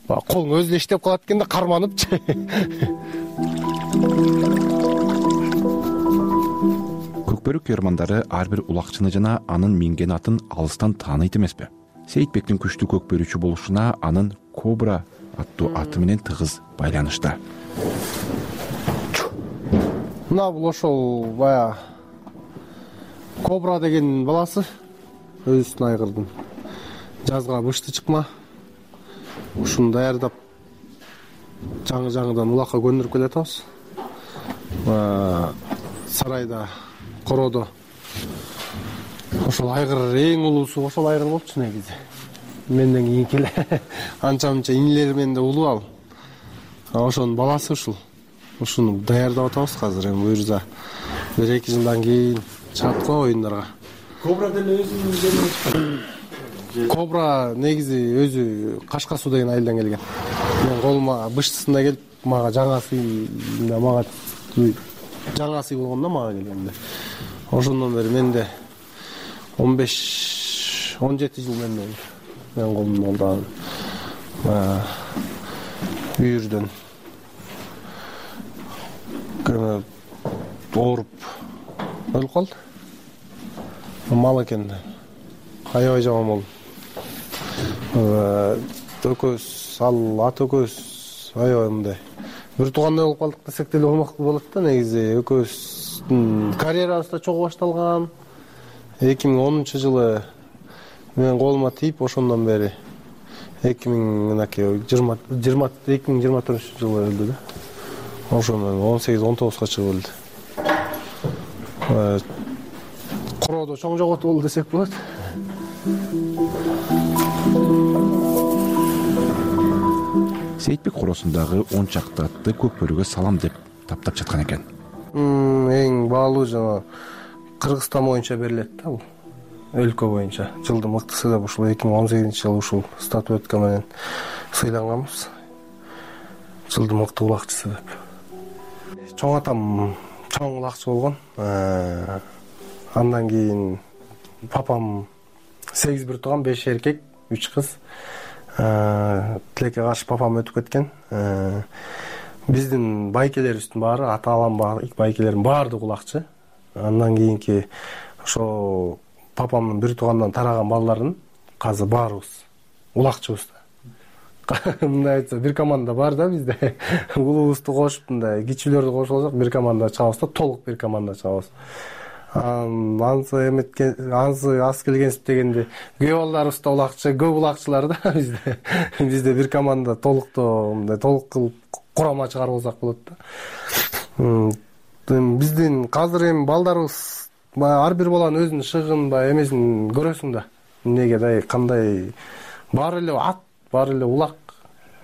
Колуң өзү иштеп калат экен да, карманыпчы. Көкбөрү күйөрмандары ар бир улакчыны жана анын минген атын алыстан тааныйт эмеспи? Сейтбектин күчтүү көкбөрүүчү болушуна анын Кобра аттуу аты менен тыгыз байланышта. Мына бул ошол Кобра деген баласы, өзүнүн айгырдын. Жазга бышты чыкма. Ушуну даярдап жаңы-жаңыдан улакка көндүрүп келатабыз. Сарайда, короодо ошол айгыр эң улуусу ошол айгыр болчу негизи. Менден кийинки эле анча-мынча инилер менен да улуу ал. ошонун баласы ушуну даярдап атабыз азыр. Эми буюрса 1-2 жылдан кийин чыгат го оюндарга. Кобра деле өзүнүн Кобра негизи өзү Кашка суу деген айылдан келген. Мен колума быштысында келип, мага жаңа сый болгондо мага келгенде. Ошондон бери менде 15-17 жыл менде болду. Мен колумда үйүрдөн ооруп өлүп калды. Мал экен. Аябай жаман болду. Экөөбүз, ата экөөбүз аябай мындай бир туугандай болуп калдык десек деле болот да. Негизи экөөбүздүн карьерабыз да чогуу башталган. 2010 жылы мен колума тийип, ошондон бери 2024 жылы өлдү да. Ошондон 18-19га чыгып өлдү. Короодо чоң жоготуу болду десек болот. Сейитбек короосундагы 10 чакты атты көкбөрүгө салам деп таптап жаткан экен. Эң баалуу жана Кыргызстан боюнча берилет да бул. Өлкө боюнча жылдын мыктысы деп ушул 2018-жылы ушул статуэтка менен сыйланганбыз. Жылдын мыкты улакчысы деп. Чоң атам чоң улакчы болгон. Андан кийин папам 8 бир тууган, 5 эркек, 3 кыз. Тилекке каршы папам өтүп кеткен. Биздин байкелерибиздин баары, ата-анам байкелердин баардыгы улакчы. Андан кийинки ошо папамдын бир туугандан тараган балдарын азыр баарыбыз улакчыбыз да. Мындай айтса, бир команда бар да бизде. Улубузду кошуп, мындай кичүүлөрдү кошуп алсак, бир команда чабабыз да, толук бир команда чабабыз. Ансы аз келгенсип дегенде көө балдарыбыз да улакчы, көп улакчылар да бизде. Бизде бир команда толуктоо мындай толук кылып курама чыгарып алсак болот да. Биздин казыр эми балдарыбыз ар бир баланын өзүнүн шыгын эмесин көрөсүң да. Эмнеге кандай баары эле ат, баары эле улак.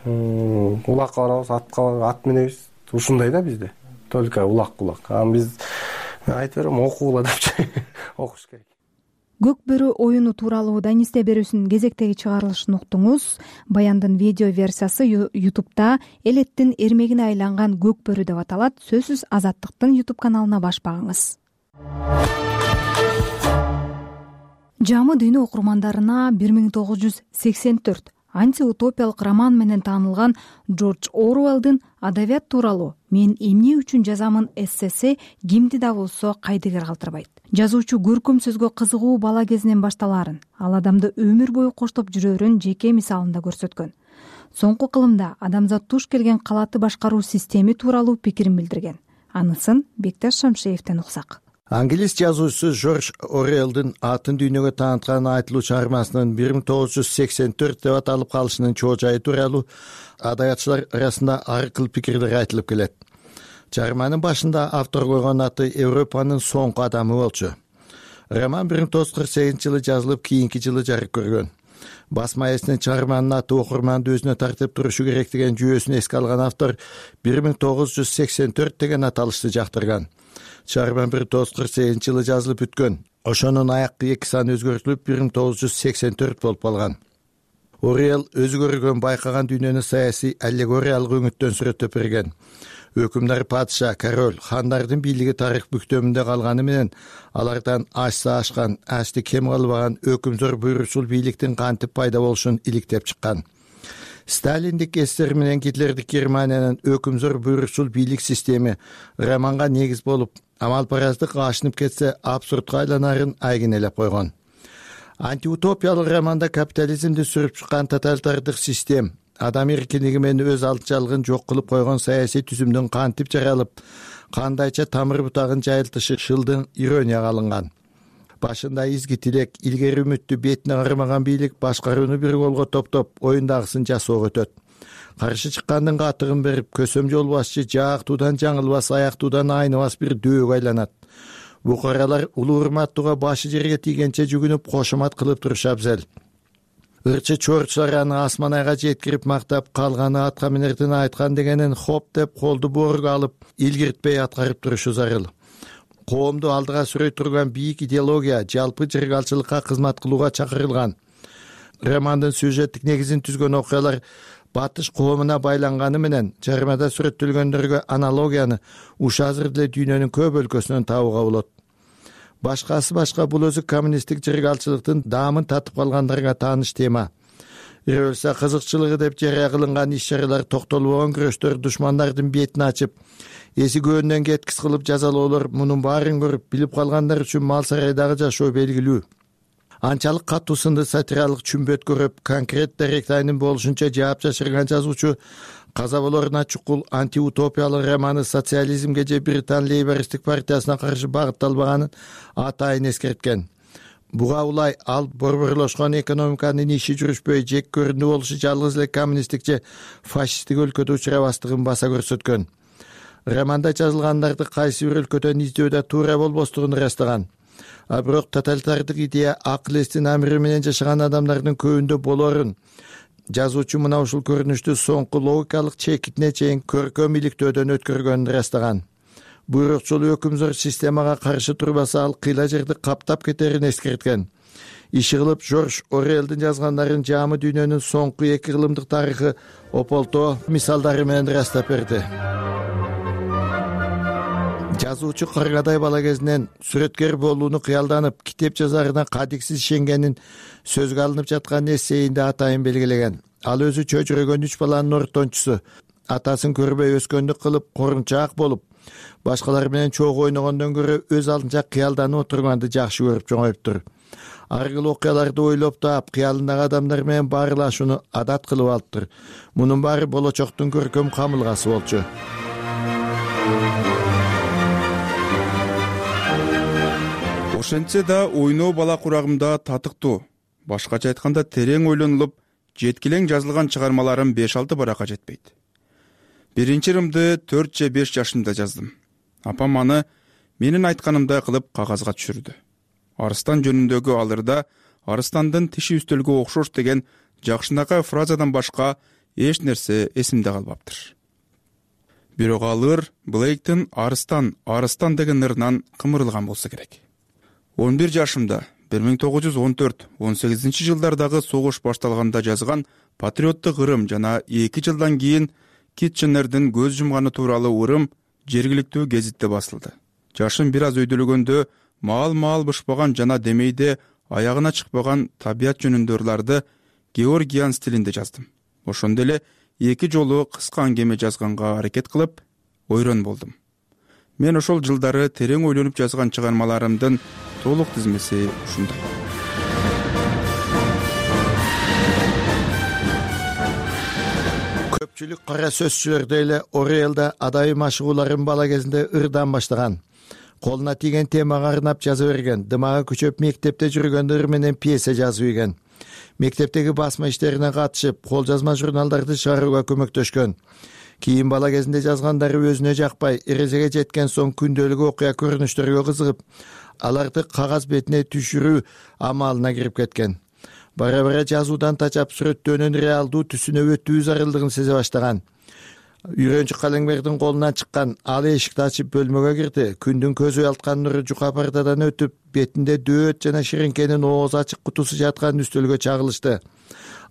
Улакка барабыз, ат минебиз. Ушундай да бизде. Только улак. Биз айтып берем, окугула депчи. Окуш керек. Көкбөрү оюну тууралуу Данисте берүүсүнүн кезектеги чыгарылышын уктуңуз. Баяндын видео версиясы YouTube'да элеттин эрмегине айланган көкбөрү деп аталат. Сөзсүз Азаттыктын YouTube каналына баш багыңыз. Жамы дүйнө окурмандарына 1984 антиутопиялык роман менен таанылган Джордж Оруэллдин адабият тууралуу "Мен эмне үчүн жазамын" эссеси кимди да болсо кайдыгер калтырбайт. Жазуучу көркөм сөзгө кызыгуу бала кезинен башталаарын, ал адамды өмүр бою коштоп жүрөрүн жеке мисалында көрсөткөн. Соңку кылымда адамзат туш келген калааты башкаруу системи тууралуу пикирин билдирген. Анысын Бекташ Шамшеевден уксак. Англис жазуучусу Джордж Оруэллдин атын дүйнөгө тааныткан айтылуу чыгармасынын 1984 деп аталып калышынын чоо жайы тууралуу адабиятчылар арасында ар кыл пикирлер айтылып келет. Чыгарманын башында автор койгон аты Европанын соңку адамы болчу. Роман 1948-жылы жазылып, кийинки жылы жарык көргөн. Басма эсинин чыгарманын аты окурманды өзүнө тартып турушу керек деген жүйөсүн эске алган автор 1984 деген аталышты жактырган. Чыгарман 1948-жылы жазылып бүткөн. Ошонун аяккы 2 саны өзгөртүлүп 1984 болуп калган. Оруэлл өзү көргөн, байкаган дүйнөнү саясий аллегориялык өңүттөн сүрөттөп берген. Өкүмдар, падыша, король, хандардын бийлиги тарых бүктөмүндө калганы менен алардан ашса ашкан, ашты кем калбаган өкүмзөр буйручул бийликтин кантип пайда болушун иликтеп чыккан. Сталиндик СССР менен Гитлердик Германиянын өкүмзөр буйручул бийлик системи романга негиз болуп, амалпараздык ашынып кетсе абсурдка айланарын айгинелеп койгон. Антиутопиялык романда капитализмди сүрүп чыккан тоталитардык систем, адам эркиндиги менен өз алдычалыгын жок кылып койгон саясий түзүмдүн кантип жаралып, кандайча тамыр бутагын жайылтышы шылдың иронияга алынган. Башында изги тилек, илгери үмүттү бетине кармаган бийлик башкарууну бир колго топтоп, оюндагысын жасоого өтөт. Каршы чыккандын катыгын берип, көсөм жол башчы жаактуудан жаңылбас, аяктуудан айныбас бир дөөг айланат. Букаралар улуу урматтууга башы жерге тийгенче жүгүнүп кошомат кылып турушу абзел. ырчы чорчулар аны асман айга жеткирип мактап, калганы атка минердин айткан дегенин хоп деп колду боорго алып илгиртпей аткарып турушу зарыл. Коомду алдыга сүрөй турган бийик идеология жалпы жыргалчылыкка кызмат кылууга чакырылган. Романдын сюжеттик негизин түзгөн окуялар батыш коомуна байланганы менен жарымада сүрөттөлгөндөргө аналогияны уш азыр деле дүйнөнүн көп өлкөсүнөн табууга болот. Башкасы башка, бул өзү коммунисттик жыргалчылыктын даамын татып калгандарга тааныш тема. Революция кызыкчылыгы деп жарыя кылынган иш-чаралар токтолбогон күрөштөр душмандардын бетин ачып, эси көөнүнөн кеткис кылып жазалоолор, мунун баарын көрүп билип калгандар үчүн мал сарайдагы жашоо белгилүү. Анчалык катуу сынды сатиралык чүмбөт көрүп, конкрет даректайнын болушунча жаап жашырган жазуучу каза болоруна чукул антиутопиялык романы социализмге же Британ лейбористтик партиясына каршы багытталбаганын атайын эскерткен. Буга улай ал борборлошкон экономиканын иши жүрүшпөй, жек көрүндү болушу жалгыз эле коммунисттик же фашисттик өлкөдө учурабастыгын баса көрсөткөн. Романда жазылгандарды кайсы бир өлкөдөн издөөдө туура болбостугун ырастаган. А бирок тоталитардык идея акыл эстин амиры менен жашаган адамдардын көбүндө болорун жазуучу мына ушул көрүнүштү соңку логикалык чекитине чейин көркөм иликтөөдөн өткөргөнүн ырастаган. Буйрукчул өкүмзөр системага каршы турбаса, ал кыйла жерди каптап кетерин эскерткен. Иши кылып Жорж Орелдин жазгандарын жаамы дүйнөнүн соңку 2 кылымдык тарыхы ополтоо мисалдары менен ырастап берди. Жазуучу кыргадай бала кезинен сүрөткер болууну кыялданып, китеп жазарына кадиксиз ишенгенин сөзгө алынып жаткан эссейинде атайын белгилеген. Ал өзү чөчүрөгөн 3 баланын ортончусу, атасын көрбөй өскөндүк кылып, корунчаак болуп, башкалар менен чогуу ойногондон көрө өз алдынча кыялданып отурганды жакшы көрүп чоңоюптур. Ар кыл окуяларды ойлоп таап, кыялындагы адамдар менен баарлашууну адат кылып алыптыр. Мунун баары болочоктун көркөм камылгасы болчу. Ошентсе да ойноо бала курагымда татыктуу, башкача айтканда терең ойлонулуп, жеткилең жазылган чыгармаларым 5-6 баракка жетпейт. Биринчи ырымды 4 же 5 жашымда жаздым. Апам аны менин айтканымдай кылып кагазга түшүрдү. Арыстан жөнүндөгү алырда арыстандын тиши үстөлгө окшош деген жакшынакай фразадан башка эч нерсе эсимде калбаптыр. Бирок алыр Блейктин арыстан деген ырынан кымырылган болсо керек. 11 жашымда 1914-18 жылдардагы согуш башталганда жазган патриоттук ырым жана 2 жылдан кийин Китченердин көз жумганы тууралуу ырым жергиликтүү гезитте басылды. Жашым бир аз өйдөлгөндө маал бышпаган жана демейде аягына чыкпаган табият жөнүндө ырларды Георгиан стилинде жаздым. Ошондо эле 2 жолу кыска аңгеме жазганга аракет кылып, ойрон болдум. Мен ошол жылдары терең ойлонуп жазган чыгармаларымдын толук тизмеси ушундай. Көпчүлүк кара сөзчүлөрдө эле Орелда адайым ашыгууларын бала кезинде ырдан баштаган. Колуна тийген темага арнап жаза берген, дымагы күчөп мектепте жүргөндө ыр менен пьеса жазып ийген. Мектептеги басма иштерине катышып, кол жазма журналдарды чыгарууга көмөктөшкөн. Кийин бала кезинде жазгандары өзүнө жакпай, эрезеге жеткен соң күндөлүк окуя көрүнүштөргө кызыгып, аларды кагаз бетине түшүрүү амалына кирип кеткен. Бара-бара жазуудан тачап сүрөттөөнүн реалдуу түсүнө өтүү зарылдыгын сезе баштаган. Үйрөнчү Калеңбердин колунан чыккан ал эшикти ачып бөлмөгө кирди. Күндүн көзү алткан нуру жука пардадан өтүп, бетинде дөөт жана ширинкенин ооз ачык кутусу жаткан үстөлгө чагылышты.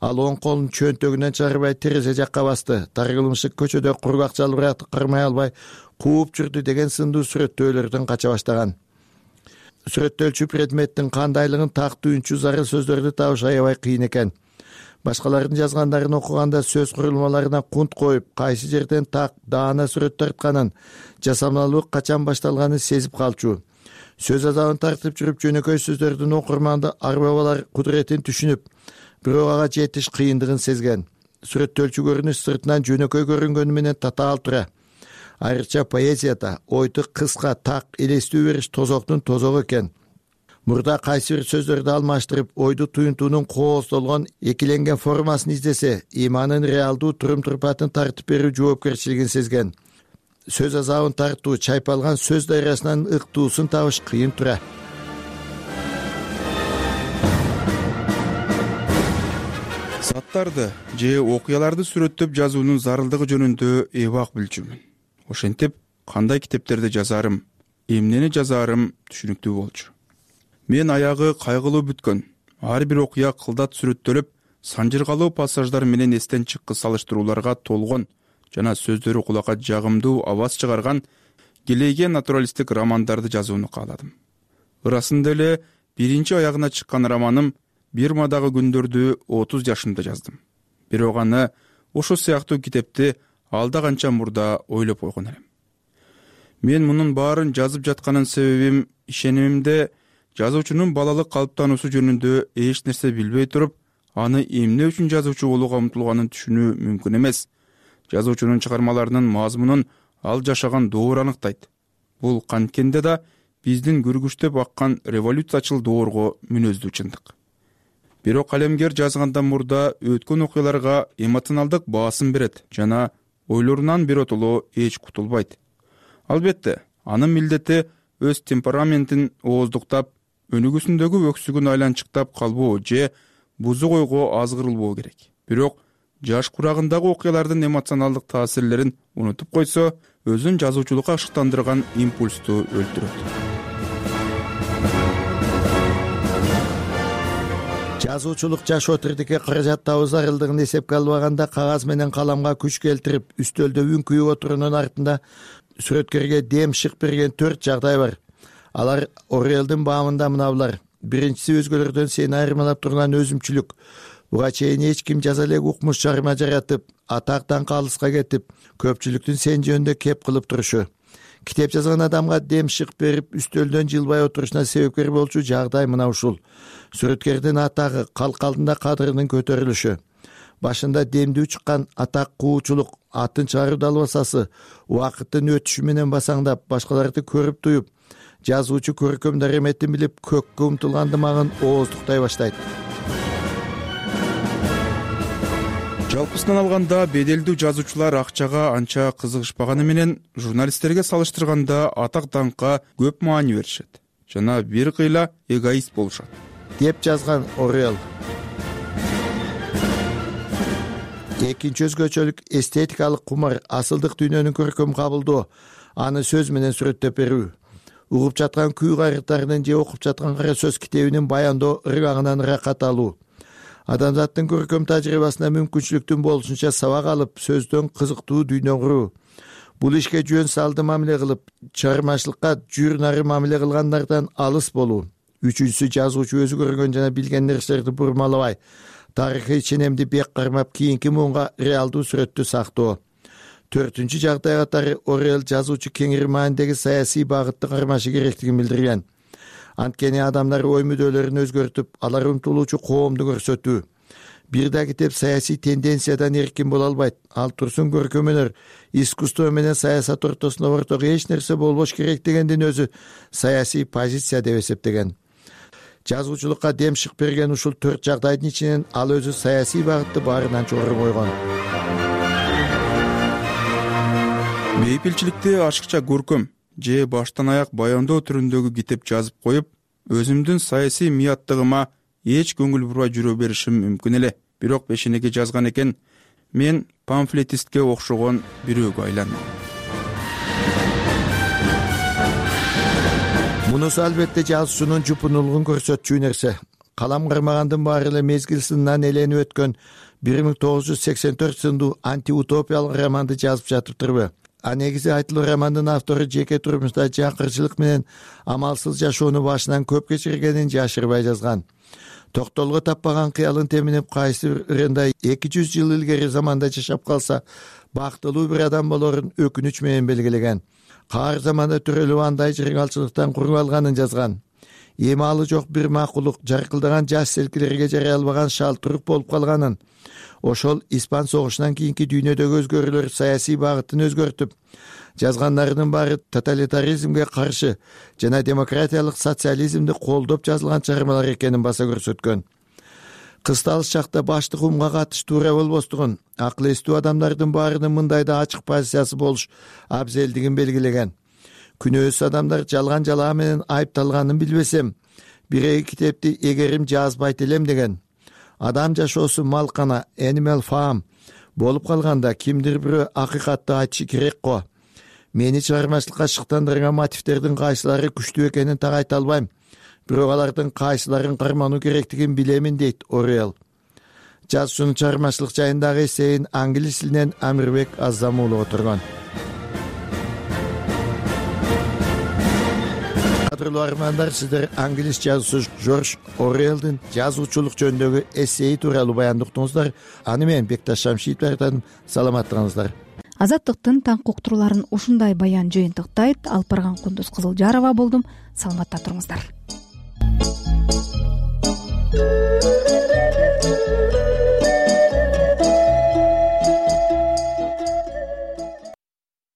Ал оң колун чөнтөгүнөн чыгарбай терезе жакка басты. Таргылымшык көчөдө кургак жалбыракты кырмай албай кууп жүрдү деген сындуу сүрөттөөлөрдөн кача баштаган. Сүрөттөлчү предметтин кандайлыгын тактуу үнчү зарыл сөздөрдү табыш аябай кыйын экен. Башкалардын жазгандарын окуганда сөз курулмаларына кунт коюп, кайсы жерден так, даана сүрөт тартканын, жасамалуу качан башталганын сезип калчу. Сөз азабын тартып жүрүп, жөнөкөй сөздөрдүн окурманды арбабалар кудуретин түшүнүп, бирок ага жетиш кыйындыгын сезген. Сүрөттөлчү көрүнүш сыртынан жөнөкөй көрүнгөнү менен татаал тура. Айрыкча поэзияда ойду кыска, так, элестүү бериш тозоктун тозогу экен. Мурда кайсы бир сөздөрдү алмаштырып, ойду туюнтуунун кооздолгон, экиленген формасын издесе, иманын реалдуу турум-турпатын тартып берүү жоопкерчилигин сезген. Сөз азабын тартуу, чайпалган сөз дайрасынан ыктуусун табыш кыйын тура. заттарды же окуяларды сүрөттөп жазуунун зарылдыгы жөнүндө эбак билчүмүн. Ошентип кандай китептерди жазарым, эмнени жазарым түшүнүктүү болчу. Мен аягы кайгылуу бүткөн, ар бир окуя кылдат сүрөттөлүп, санжыргалуу пассаждар менен эстен чыккы салыштырууларга толгон жана сөздөрү кулакка жагымдуу абаз чыгарган келейге натуралисттик романдарды жазууну кааладым. Ырасында эле биринчи аягына чыккан романым Бирмадагы күндөрдү 30 жашымда жаздым. Бирок аны ошол сыяктуу китепти алда канча мурда ойлоп койгон элем. Мен мунун баарын жазып жатканын себебим ишенимимде жазуучунун балалык калыптануусу жөнүндө эч нерсе билбей туруп, аны эмне үчүн жазуучу болууга умтулганын түшүнүү мүмкүн эмес. Жазуучунун чыгармаларынын мазмунун ал жашаган доор аныктайт. Бул канткенде да биздин күргүчтөп аккан революциячыл доорго мүнөздүү чындык. Бирок калемгер жазгандан мурда өткөн окуяларга эмоционалдык баасым берет жана ойлорунан биротоло эч кутулбайт. Албетте, анын милдети өз темпераментин ооздуктап, өнүгүүсүндөгү өксүгүн айланчыктап калбоо же бузук ойго азгырылбоо керек. Бирок жаш курагындагы окуялардын эмоционалдык таасирлерин унутуп койсо, өзүн жазуучулукка ашыктандырган импульсту өлтүрөт. Жазуучулук жашоо тирдикке каражаттабыз зарылдыгын эсепке албаганда кагаз менен каламга күч келтирип, үстөлдө үңкүйүп отуруунун артында сүрөткөргө дем шык берген 4 жагдай бар. Алар Орелдин баамында мыналар. Биринчиси өзгөлөрдөн сени айырмалап турган өзүмчүлүк. Буга чейин эч ким жаза элек укмуш чыгарма жаратып, атактан калыска кетип, көпчүлүктүн сен жөнүндө кеп кылып турушу. Китеп жазган адамга дем шык берип, үстөлдөн жылбай отурушуна себепкер болчу жагдай мына ушул. Сүрөткердин атагы, калк алдында кадырынын көтөрүлүшү. Башында демдүү чыккан атак куучулук, атын чыгаруу далбасасы, убакыттын өтүшү менен басаңдап, башкаларды көрүп туюп, жазуучу көркөм дареметин билип, көккө умтулгандымагын ооздуктай баштайт. Жалпысынан алганда беделдүү жазуучулар акчага анча кызыгышпаганы менен журналисттерге салыштырганда атак даңкка көп маани беришет жана бир кыйла эгоист болушат, деп жазган Орел. Экинчи өзгөчөлүк эстетикалык кумар, асылдык дүйнөнүн көркөм кабылдоо, аны сөз менен сүрөттөп берүү. Угуп жаткан күй кайрыктарынын же окуп жаткан кара сөз китебинин баяндоо ыргагынан ыракат алуу. Адамзаттын көркөм тажрыйбасына мүмкүнчүлүктүн болушунча сабак алып, сөздөн кызыктуу дүйнө куруу. Бул ишке жөн салды мамиле кылып, чыгармачылыкка жүйүр-нары мамиле кылгандардан алыс болуу. Үчүнчүсү, жазуучу өзү көргөн жана билген нерселерди бурмалабай, тарыхый ченемди бек кармап, кийинки муунга реалдуу сүрөттү сактоо. Төртүнчү жагдай катары Орел жазуучу кеңири маанидеги саясий багытты кармашы керектигин билдирген. Анткени адамдар ой мүдөлөрүн өзгөртүп, алар умтулуучу коомду көрсөтүү. Бир да китеп саясий тенденциядан эркин боло албайт. Ал турсун көркөм өнөр, искусство менен саясат ортосунда ортого эч нерсе болбош керек дегендин өзү саясий позиция деп эсептеген. Жазуучулукка дем шык берген ушул 4 жагдайдын ичинен ал өзү саясий багытты баарынан жогору койгон. Бейпилчиликти ашыкча көркөм же баштан аяк баяндоо түрүндөгү китеп жазып коюп, өзүмдүн саясий мияттыгыма эч көңүл бурбай жүрө беришим мүмкүн эле. Бирок пешенеге жазган экен, мен памфлетистке окшогон бирөөгө айландым. Мунусу албетте жазуучунун жупунулугун көрсөтчү нерсе. Калам кармагандын баары эле мезгил сынынан эленип өткөн 1984 сындуу антиутопиялык романды жазып жатыптырбы? А негизи айтылуу романдын автору жеке турмушта жакырчылык менен амалсыз жашоону башынан көп кечиргенин жашырбай жазган. Токтолго таппаган кыялын теминип, кайсы ырында 200 жыл илгери заманда жашап калса, бактылуу бир адам болорун өкүнүч менен белгилеген. Каар заманда төрөлүп андай жыргалчылыктан куруп алганын жазган. Эми жок бир макулук, жаркылдаган жаш селкилерге жарай албаган шалтырык болуп калганын, ошол Испан согушунан кийинки дүйнөдөгү өзгөрүүлөр саясий багытын өзгөртүп, жазгандарынын баары тоталитаризмге каршы жана демократиялык социализмди колдоп жазылган чыгармалар экенин баса көрсөткөн. Кысталыш чакта баштык умга катыш туура болбостугун, акыл эстүү адамдардын баарынын мындай да ачык позициясы болуш абзелдигин белгилеген. Күнөөсүз адамдар жалган жалаа менен айыпталганын билбесем, бир китепти эгерим жазбайт элем деген. адам жашоосу малкана animal farm болуп калганда кимдир бирөө акыйкатты айтышы керек го. Мени чыгармачылыкка шыктандырган мотивдердин кайсылары күчтүү экенин так айта албайм. Бирок алардын кайсыларын кармануу керектигин билемин, дейт Орел. Жазуучунун чыгармачылык жайындагы эсейин англис тилинен Амирбек Азамулов отурган. Кадырлуу армандар, сиздер англис жазуучу Жорж Орелдин жазуучулук жөнүндөгү эсеи тууралуу баяндыктыңыздар. Аны мен Бекташ Шамшиевдин айтам. Саламаттыңыздар. Азаттыктын таңкы уктурууларын ушундай баян жыйынтыктайт. Алып барган Кундуз Кызылжарова болдум. Саламатта туруңуздар.